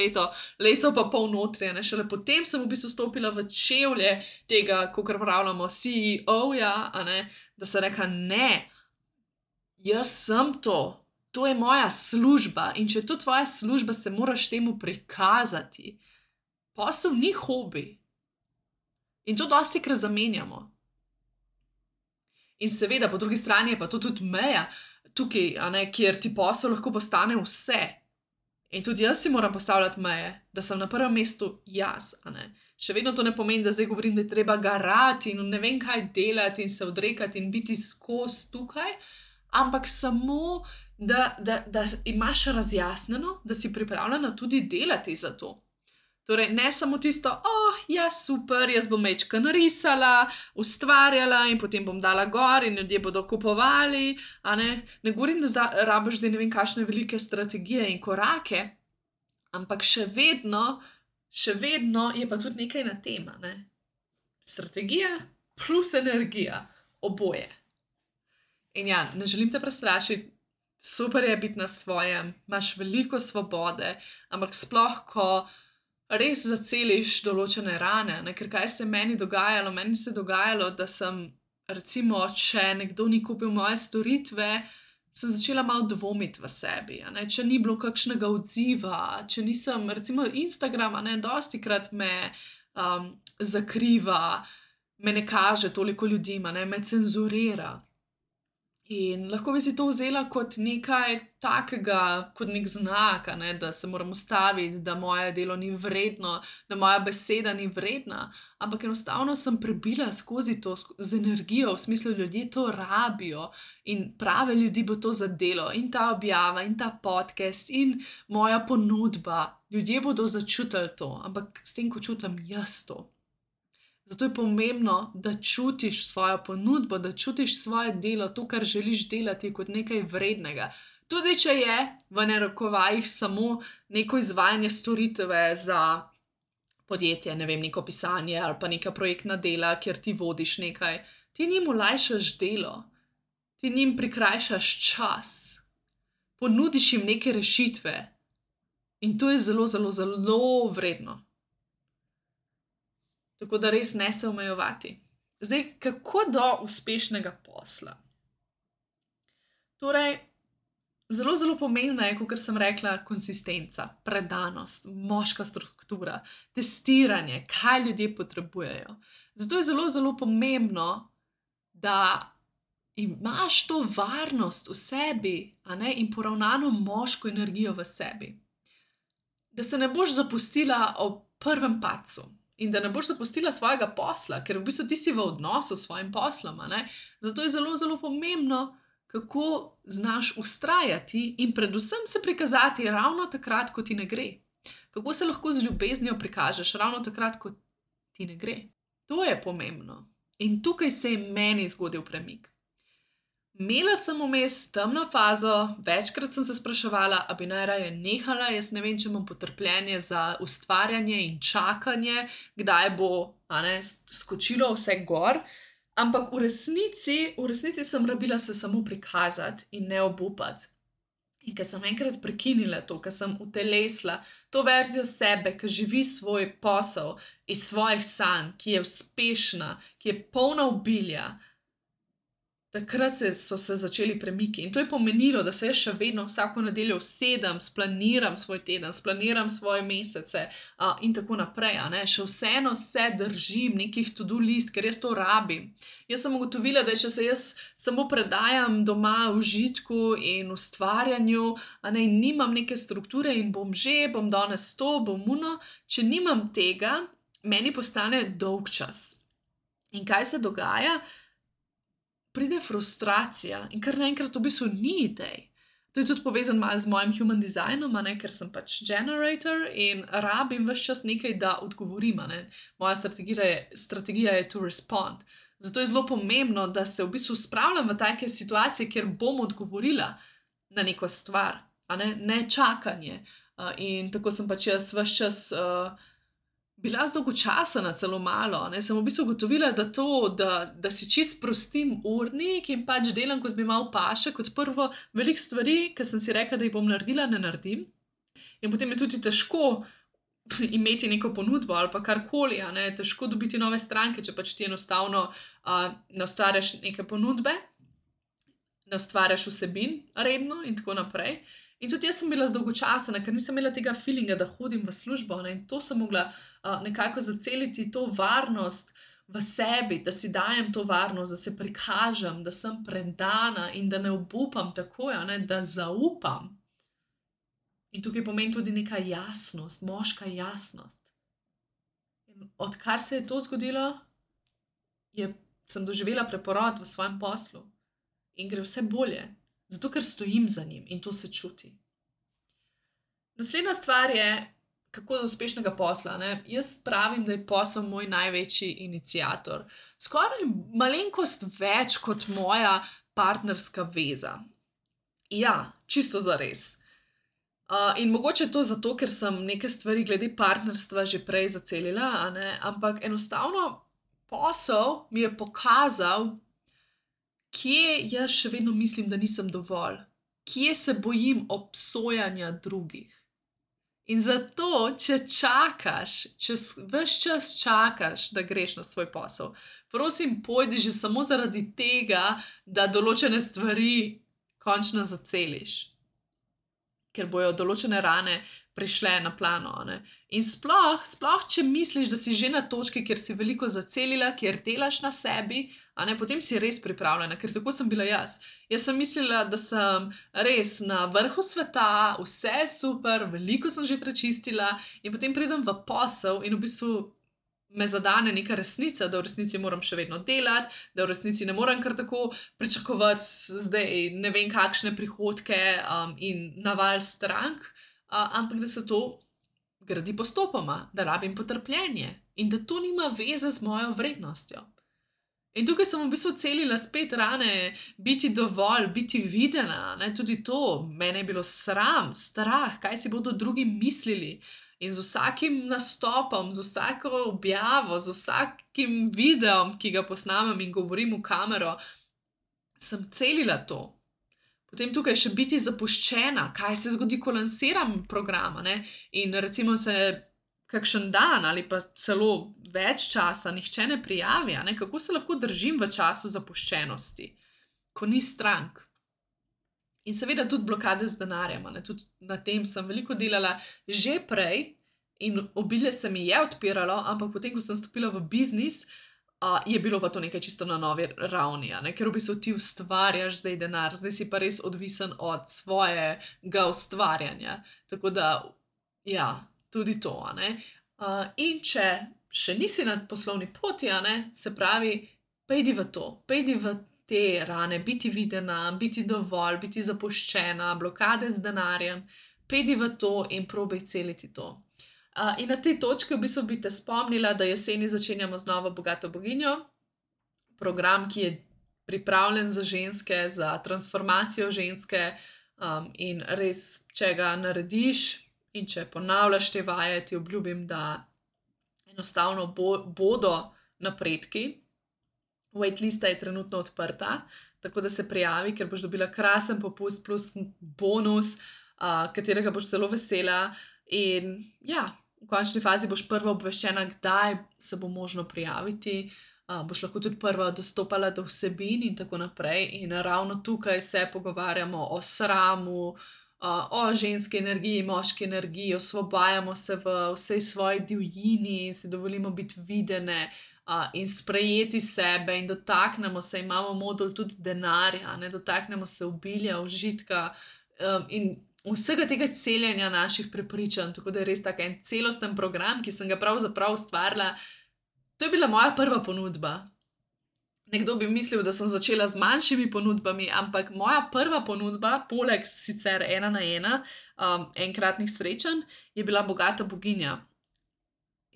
leto pa pol notri, a ne, šele potem sem v bistvu stopila v čevlje tega, kakor pravljamo, CEO-ja, a ne, da sem rekla, ne, jaz sem to je moja služba in če je to tvoja služba, se moraš temu prikazati. Posel ni hobi. In to dostikrat zamenjamo. In seveda, po drugi strani je pa to tudi meja tukaj, a ne, kjer ti posel lahko postane vse. In tudi jaz si moram postavljati meje, da sem na prvem mestu jaz, a ne. Še vedno to ne pomeni, da zdaj govorim, da je treba garati in ne vem kaj delati in se odrekati in biti skozi tukaj, ampak samo, da imaš razjasnjeno, da si pripravljena tudi delati za to. Torej, ne samo tisto, ja, super, jaz bom majčkeno risala, ustvarjala in potem bom dala gor in ljudje bodo kupovali, a ne. Ne govorim, da rabiš zdaj ne vem kakšne velike strategije in korake, ampak še vedno je pa tudi nekaj na tem, a ne. Strategija plus energija, oboje. In ja, ne želim te prestrašiti, super je biti na svojem, imaš veliko svobode, ampak sploh, ko res zaceliš določene rane, ne, ker kaj se je meni dogajalo? Meni se je dogajalo, da sem, recimo, če nekdo ni kupil moje storitve, sem začela malo dvomiti v sebi, a ne, če ni bilo kakšnega odziva, če nisem, recimo Instagram, a ne, dostikrat me zakriva, me ne kaže toliko ljudem, a ne, me cenzurira. In lahko bi si to vzela kot nekaj takega, kot nek znak, a ne, da se moram ustaviti, da moje delo ni vredno, da moja beseda ni vredna, ampak enostavno sem prebila skozi to z energijo, v smislu, ljudje to rabijo in prave ljudi bo to zadelo in ta objava in ta podcast in moja ponudba, ljudje bodo začutili to, ampak s tem, ko čutim jaz to. Zato je pomembno, da čutiš svojo ponudbo, da čutiš svoje delo, to, kar želiš delati, kot nekaj vrednega. Tudi če je v narekovajih samo neko izvajanje storitve za podjetje, ne vem, neko pisanje ali pa neka projektna dela, kjer ti vodiš nekaj, ti njim olajšaš delo, ti njim prikrajšaš čas, ponudiš jim neke rešitve in to je zelo, zelo, zelo vredno. Tako da res ne se omejevati. Zdaj, kako do uspešnega posla? Torej, zelo, zelo pomembna je, kot sem rekla, konsistenca, predanost, moška struktura, testiranje, kaj ljudje potrebujejo. Zato je zelo, zelo pomembno, da imaš to varnost v sebi, in poravnano moško energijo v sebi. Da se ne boš zapustila ob prvem padcu in da ne boš zapustila svojega posla, ker v bistvu ti si v odnosu s svojim poslom. Zato je zelo, zelo pomembno, kako znaš vztrajati in predvsem se prikazati ravno takrat, ko ti ne gre. Kako se lahko z ljubeznijo prikažeš ravno takrat, ko ti ne gre. To je pomembno. In tukaj se je meni zgodil premik. Imela sem vmes temno fazo, večkrat sem se spraševala, a bi najraje nehala, jaz ne vem, če imam potrpljenje za ustvarjanje in čakanje, kdaj bo skočilo vse gor, ampak v resnici sem rabila se samo prikazati in ne obupati. In ker sem enkrat prekinila to, ker sem utelesila to verzijo sebe, ki živi svoj posel iz svojih sanj, ki je uspešna, ki je polna obilja, takrat so se začeli premiki in to je pomenilo, da se jaz še vedno vsako nedeljo usedem, splaniram svoj teden, splaniram svoje mesece in tako naprej. Še vseeno se držim nekih to-do list, ker jaz to rabim. Jaz sem ugotovila, da če se jaz samo predajam doma v užitku in ustvarjanju, in nimam neke strukture in bom danes to, bom ono, če nimam tega, meni postane dolgčas. In kaj se dogaja? Pride frustracija in kar naenkrat v bistvu ni idej. To je tudi povezano malo z mojim human designom, ker sem pač generator in rabim ves čas nekaj, da odgovorim. Moja strategija je to respond. Zato je zelo pomembno, da se v bistvu spravljam v take situacije, kjer bom odgovorila na neko stvar, ne čakanje. In tako sem pač jaz ves čas bila zdolgočasena celo malo. Sem v bistvu ugotovila, da si čist prostim urnik in pač delam, kot mi malo paše. Kot prvo, veliko stvari, ki sem si rekla, da jih bom naredila, ne naredim. In potem je tudi težko imeti neko ponudbo ali pa karkoli. Težko dobiti nove stranke, če pač ti enostavno ne ustvarjaš neke ponudbe, ne ustvarjaš vsebin redno in tako naprej. In tudi jaz sem bila zdolgočasena, ker nisem imela tega feelinga, da hodim v službo. In to sem mogla nekako zaceliti, to varnost v sebi, da si dajem to varnost, da se prikažem, da sem predana in da ne obupam takoj, da zaupam. In tukaj pomeni tudi neka jasnost, moška jasnost. In odkar se je to zgodilo, sem doživela preporod v svojem poslu in gre vse bolje. Zato, ker stojim za njim in to se čuti. Naslednja stvar je, kako do uspešnega posla. Jaz pravim, da je posel moj največji iniciator. Skoraj malenkost več kot moja partnerska veza. Ja, čisto zares. In mogoče to zato, ker sem neke stvari glede partnerstva že prej zacelila, ampak enostavno posel mi je pokazal, kje jaz še vedno mislim, da nisem dovolj, kje se bojim obsojanja drugih. In zato, če čakaš, če ves čas čakaš, da greš na svoj posel, prosim, pojdi že samo zaradi tega, da določene stvari končno zaceliš. Ker bojo določene rane prišle na plano. In sploh, če misliš, da si že na točki, kjer si veliko zacelila, kjer delaš na sebi, potem si res pripravljena, ker tako sem bila jaz. Jaz sem mislila, da sem res na vrhu sveta, vse je super, veliko sem že prečistila in potem pridem v posel in v bistvu me zadane neka resnica, da v resnici moram še vedno delati, da v resnici ne morem kar tako pričakovati zdaj ne vem kakšne prihodke in naval strank, ampak da se to gradi postopoma, da rabim potrpljenje in da to nima veze z mojo vrednostjo. In tukaj sem v bistvu celila spet rane, biti dovolj, biti videna, tudi to, mene je bilo sram, strah, kaj si bodo drugi mislili. In z vsakim nastopom, z vsako objavo, z vsakim videom, ki ga posnamem in govorim v kamero, sem celila to. Potem tukaj še biti zapuščena, kaj se zgodi, ko lansiram program, in recimo se kakšen dan ali pa celo več časa nihče ne prijavi, kako se lahko držim v času zapuščenosti, ko ni strank. In seveda tudi blokade z denarjem, a ne, tudi na tem sem veliko delala že prej in obilje se mi je odpiralo, ampak potem, ko sem stopila v biznis, je bilo pa to nekaj čisto na novi ravni, a ne, ker v bistvu ti ustvarjaš zdaj denar, zdaj si pa res odvisen od svojega ustvarjanja. Tako da, ja, tudi to, a ne. In če še nisi na poslovni poti, a ne, se pravi, pejdi v to, pejdi v te rane, biti videna, biti dovolj, biti zapuščena, blokade z denarjem, pejdi v to in probaj celiti to. In na tej točki v bistvu bi te spomnila, da jeseni začenjamo z novo Bogato boginjo, program, ki je pripravljen za ženske, za transformacijo ženske, in res, če ga narediš in če ponavljaš te vaje, ti obljubim, da enostavno bodo napredki. Waitlista je trenutno odprta, tako da se prijavi, ker boš dobila krasen popust plus bonus, katerega boš zelo vesela. In ja, v končni fazi boš prva obveščena, kdaj se bo možno prijaviti, boš lahko tudi prva dostopala do vsebin in tako naprej. In ravno tukaj se pogovarjamo o sramu, o ženski energiji, moški energiji, osvobajamo se v vsej svoji divjini, si dovolimo biti videne, in sprejeti sebe in dotaknemo se, imamo modul tudi denarja, ne, dotaknemo se obilja, užitka, in vsega tega celjenja naših prepričanj, tako da je res tak en celosten program, ki sem ga pravzaprav ustvarila. To je bila moja prva ponudba. Nekdo bi mislil, da sem začela z manjšimi ponudbami, ampak moja prva ponudba, poleg sicer 1 na 1, enkratnih srečanj, je bila Bogata boginja.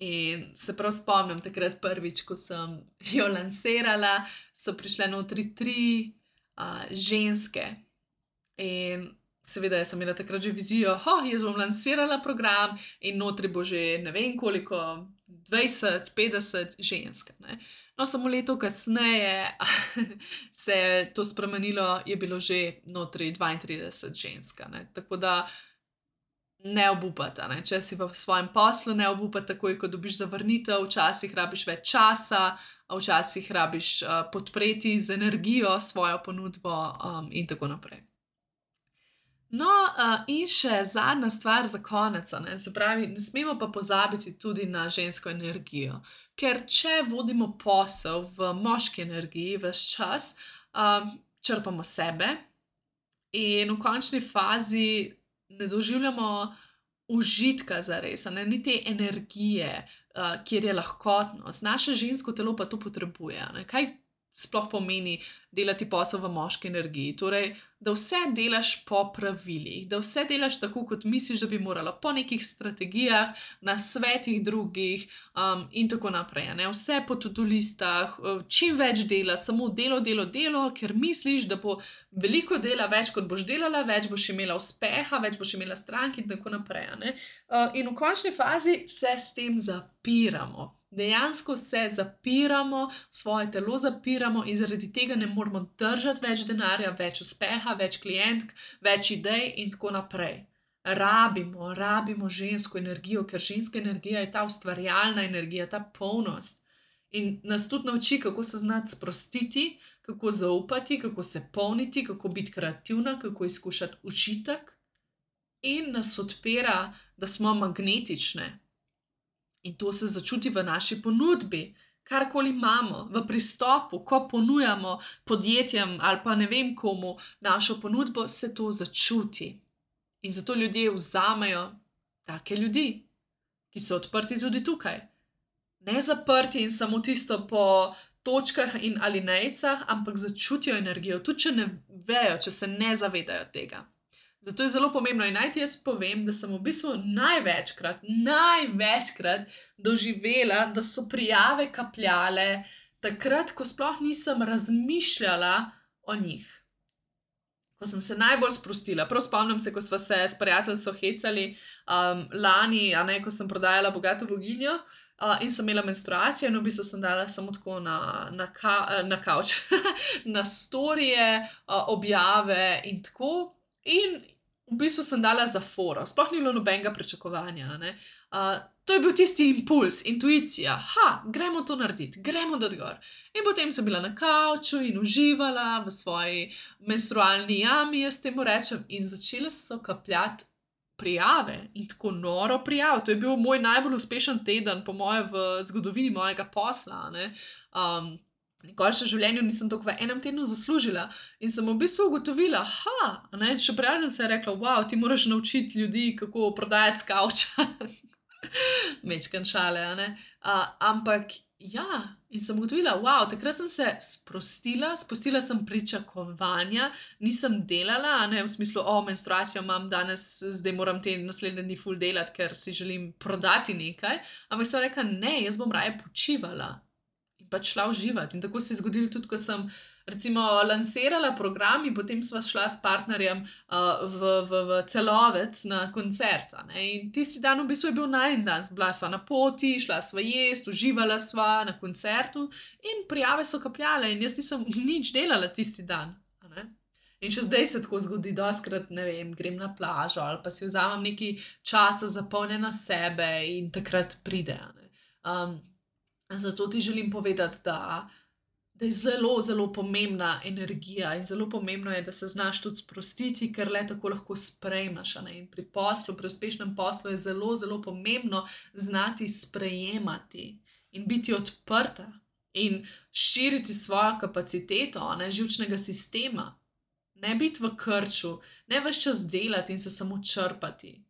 In se prav spomnim takrat prvič, ko sem jo lansirala, so prišle notri 3 ženske. In seveda jaz sem imela takrat že vizijo, jaz bom lansirala program in notri bo že ne vem koliko, 20, 50 žensk, ne. No, samo leto kasneje se je to spremenilo, je bilo že notri 32 žensk, ne. Tako da ne obupati, a ne. Če si v svojem poslu, ne obupati takoj, ko dobiš zavrnitev, včasih rabiš več časa, včasih rabiš podpreti z energijo svojo ponudbo, in tako naprej. No, in še zadnja stvar za konec, a ne, se pravi, ne smemo pa pozabiti tudi na žensko energijo. Ker če vodimo posel v moški energiji ves čas, črpamo sebe in v končni fazi ne doživljamo užitka zares, a ne, ni te energije, kjer je lahkotnost. Naše žensko telo pa to potrebuje, a ne. Kaj sploh pomeni delati posel v moški energiji? Torej, da vse delaš po pravilih, da vse delaš tako, kot misliš, da bi morala, po nekih strategijah, nasvetih drugih, in tako naprej, a ne. Vse po to-do listah, čim več dela, samo delo, delo, delo, ker misliš, da bo veliko dela, več kot boš delala, več boš imela uspeha, več boš imela strank in tako naprej, a ne. In v končni fazi se s tem zapiramo. Dejansko se zapiramo, svoje telo zapiramo in zaradi tega ne moremo držati več denarja, več uspeha, več klientk, več idej in tako naprej. Rabimo žensko energijo, ker ženska energija je ta ustvarjalna energija, ta polnost. In nas tudi nauči, kako se znati sprostiti, kako zaupati, kako se polniti, kako biti kreativna, kako izkušati učitek. In nas odpira, da smo magnetične. In to se začuti v naši ponudbi. Karkoli imamo, v pristopu, ko ponujamo podjetjem ali pa ne vem komu našo ponudbo, se to začuti. In zato ljudje vzamejo take ljudi, ki so odprti tudi tukaj. Ne zaprti in samo tisto po točkah in alinejicah, ampak začutijo energijo, tudi če ne vejo, če se ne zavedajo tega. Zato je zelo pomembno in naj ti jaz povem, da sem v bistvu največkrat doživela, da so prijave kapljale takrat, ko sploh nisem razmišljala o njih. Ko sem se najbolj sprostila. Prav spomnim se, ko sva se s prijateljico hecali, lani, a ne, ko sem prodajala Bogato boginjo, in sem imela menstruacijo in v bistvu sem dala samo tako na kavč, na storije, objave in tako. In v bistvu sem dala za foro, sploh ni bilo nobenega pričakovanja. A ne. To je bil tisti impuls, intuicija, gremo to narediti, gremo dati gor. In potem sem bila na kavču in uživala v svoji menstrualni jami, jaz temu rečem, in začele so kapljati prijave in tako noro prijav. To je bil moj najbolj uspešen teden, po moje, v zgodovini mojega posla. A ne. Nikoli še v življenju nisem toliko v enem tednu zaslužila in sem v bistvu ugotovila, še prijateljica je rekla, wow, ti moraš naučiti ljudi, kako prodajati s kavča. Mečkan šale, a ne. Ampak ja, in sem ugotovila, wow, takrat sem se sprostila, spustila sem pričakovanja, nisem delala, a ne, v smislu, menstruacijo imam danes, zdaj moram te naslednje dni ful delati, ker si želim prodati nekaj, ampak sem rekla, ne, jaz bom raje počivala in pač šla uživati. In tako se je zgodilo tudi, ko sem recimo lansirala program in potem sva šla s partnerjem v Celovec na koncert. A ne? In tisti dan v bistvu je bil najin dan. Bila sva na poti, šla sva jest, uživala sva na koncertu in prijave so kapljale in jaz nisem nič delala tisti dan. A ne? In še zdaj se tako zgodi, dostikrat, ne vem, grem na plažo ali pa si vzamem nekaj časa zapolnjena sebe in takrat pride. A ne? Zato ti želim povedati, da je zelo, zelo pomembna energija in zelo pomembno je, da se znaš tudi sprostiti, ker le tako lahko sprejmeš. A ne? In pri poslu, pri uspešnem poslu je zelo, zelo pomembno znati sprejemati in biti odprta in širiti svojo kapaciteto, a ne, živčnega sistema. Ne biti v krču, ne ves čas delati in se samo črpati.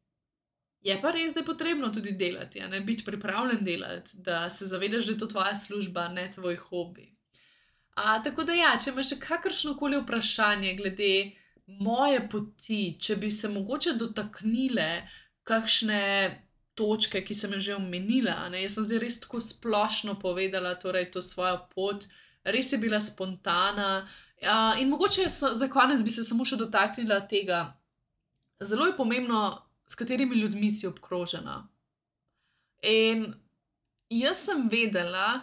Je pa res, da je potrebno tudi delati, a ne, biti pripravljen delati, da se zavedaš, da je to tvoja služba, ne tvoj hobi. Tako da ja, če imaš še kakršnokoli vprašanje glede moje poti, če bi se mogoče dotaknile kakšne točke, ki sem jo že omenila, a ne, jaz sem zdaj res tako splošno povedala, torej to svojo pot, res je bila spontana, in mogoče za konec bi se samo še dotaknila tega. Zelo je pomembno, s katerimi ljudmi si obkrožena. In jaz sem vedela,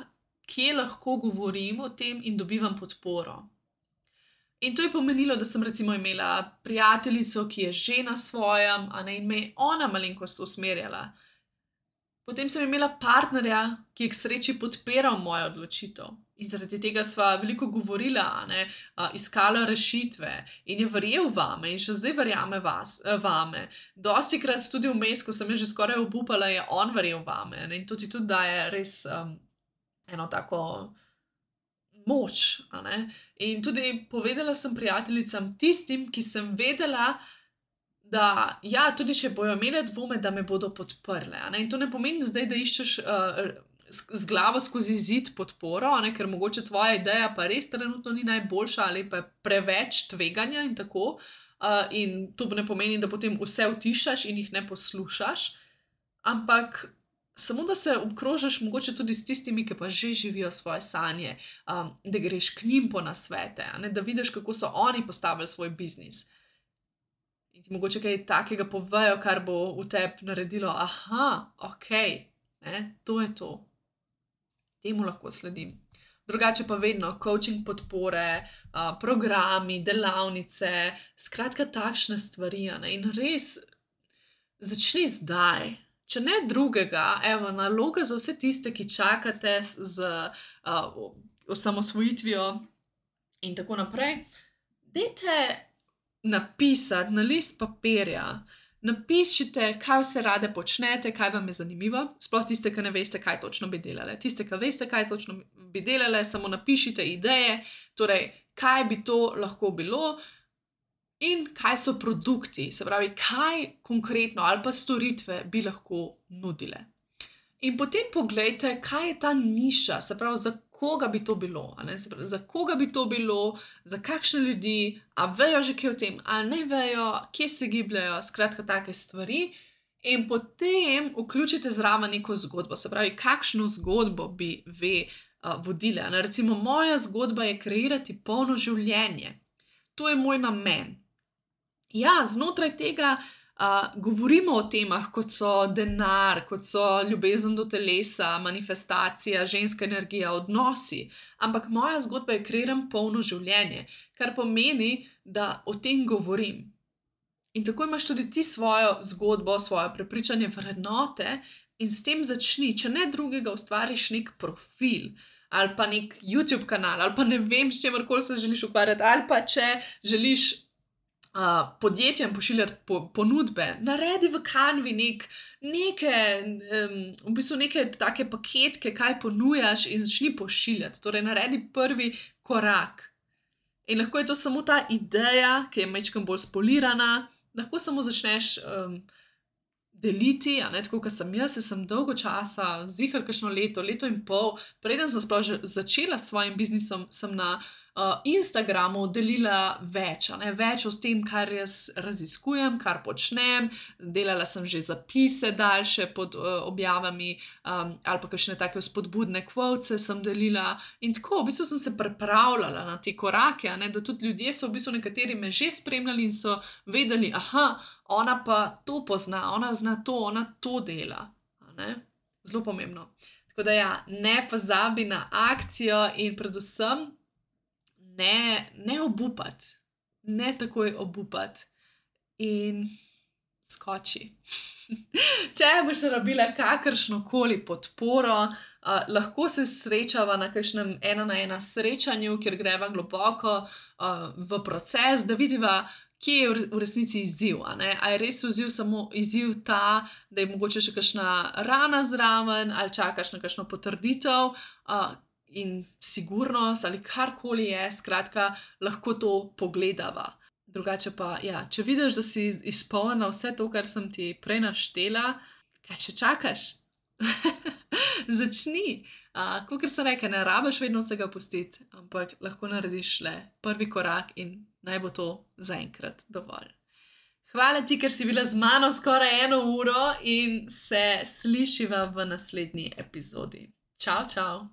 kje lahko govorim o tem in dobivam podporo. In to je pomenilo, da sem recimo imela prijateljico, ki je že na svojem, a ne, in me je ona malenkost usmerjala. Potem sem imela partnerja, ki je k sreči podpiral mojo odločitev. In zaradi tega sva veliko govorila, a ne, iskala rešitve in je verjel vame in še zdaj verjame vame. Dostikrat tudi vmes, ko sem jo že skoraj obupala, je on verjel vame, ne, in to ti tudi daje res eno tako moč, a ne. In tudi povedala sem prijateljicam, tistim, ki sem vedela, da ja, tudi če bojo imele dvome, da me bodo podprle, a ne. In to ne pomeni zdaj, da iščeš z glavo skozi zid podporo, a ne, ker mogoče tvoja ideja pa res trenutno ni najboljša ali pa je preveč tveganja in tako. In to ne pomeni, da potem vse utišaš in jih ne poslušaš, ampak samo da se obkrožiš mogoče tudi s tistimi, ki pa že živijo svoje sanje, da greš k njim po nasvete, a ne, da vidiš, kako so oni postavili svoj biznis. In ti mogoče kaj takega povejo, kar bo v tebi naredilo, okej, ne, to je to. Temu lahko sledim. Drugače pa vedno coaching podpore, programi, delavnice, skratka takšne stvari, a ne. In res začni zdaj. Če ne drugega, evo, naloga za vse tiste, ki čakate z osamosvojitvijo in tako naprej, dajte napisati na list papirja, napišite, kaj vse rade počnete, kaj vam je zanimivo, sploh tiste, ki ne veste, kaj točno bi delale. Tiste, ki veste, kaj točno bi delale, samo napišite ideje, torej, kaj bi to lahko bilo in kaj so produkti, se pravi, kaj konkretno ali pa storitve bi lahko nudile. In potem poglejte, kaj je ta niša, se pravi, za koga bi to bilo, a ne, se pravi, za koga bi to bilo, za kakšne ljudi, a vejo že kaj o tem, a ne vejo, kje se gibljajo, skratka take stvari. In potem vključite zraven neko zgodbo, se pravi, kakšno zgodbo bi vodile. A ne, recimo, moja zgodba je kreirati polno življenje. To je moj namen. Ja, znotraj tega govorimo o temah, kot so denar, kot so ljubezen do telesa, manifestacija, ženska energija, odnosi. Ampak moja zgodba je kreiram polno življenje, kar pomeni, da o tem govorim. In tako imaš tudi ti svojo zgodbo, svoje prepričanje, vrednote in s tem začni, če ne drugega, ustvariš nek profil ali pa nek YouTube kanal ali pa ne vem, s čemerkoli se želiš ukvarjati, ali pa če želiš podjetjem pošiljati ponudbe, naredi v Canvi v bistvu neke take paketke, kaj ponujaš in začni pošiljati. Torej, naredi prvi korak. In lahko je to samo ta ideja, ki je majčkeno bolj spolirana, lahko samo začneš deliti, tako kot sem jaz sem dolgo časa, ziher kakšno leto in pol, preden sem sploh že začela s svojim biznisom, sem na Instagramu delila več o tem, kar jaz raziskujem, kar počnem, delala sem že zapise daljše pod objavami, ali pa kakšne take spodbudne quotese sem delila in tako, v bistvu sem se pripravljala na te korake, da tudi ljudje so v bistvu nekateri me že spremljali in so vedeli, aha, ona pa to pozna, ona zna to, ona to dela, Zelo pomembno. Tako da ja, ne pozabi na akcijo in predvsem ne obupati, ne takoj obupati in skoči. Če boš rabila kakršnokoli podporo, lahko se srečava na kakšnem 1-na-1 srečanju, kjer greva globoko v proces, da vidiva, kje je v resnici izziv, A je res samo izziv ta, da je mogoče še kakšna rana zraven, ali čakaš na kakšno potrditev, in sigurnost ali karkoli je, skratka, lahko to pogledava. Drugače pa, ja, če vidiš, da si izpolnila vse to, kar sem ti prej naštela, kaj še čakaš? Začni. Kakor sem rekla, ne rabiš vedno vsega pustiti, ampak lahko narediš le prvi korak in naj bo to zaenkrat dovolj. Hvala ti, ker si bila z mano skoraj 1 uro in se slišiva v naslednji epizodi. Čau, čau!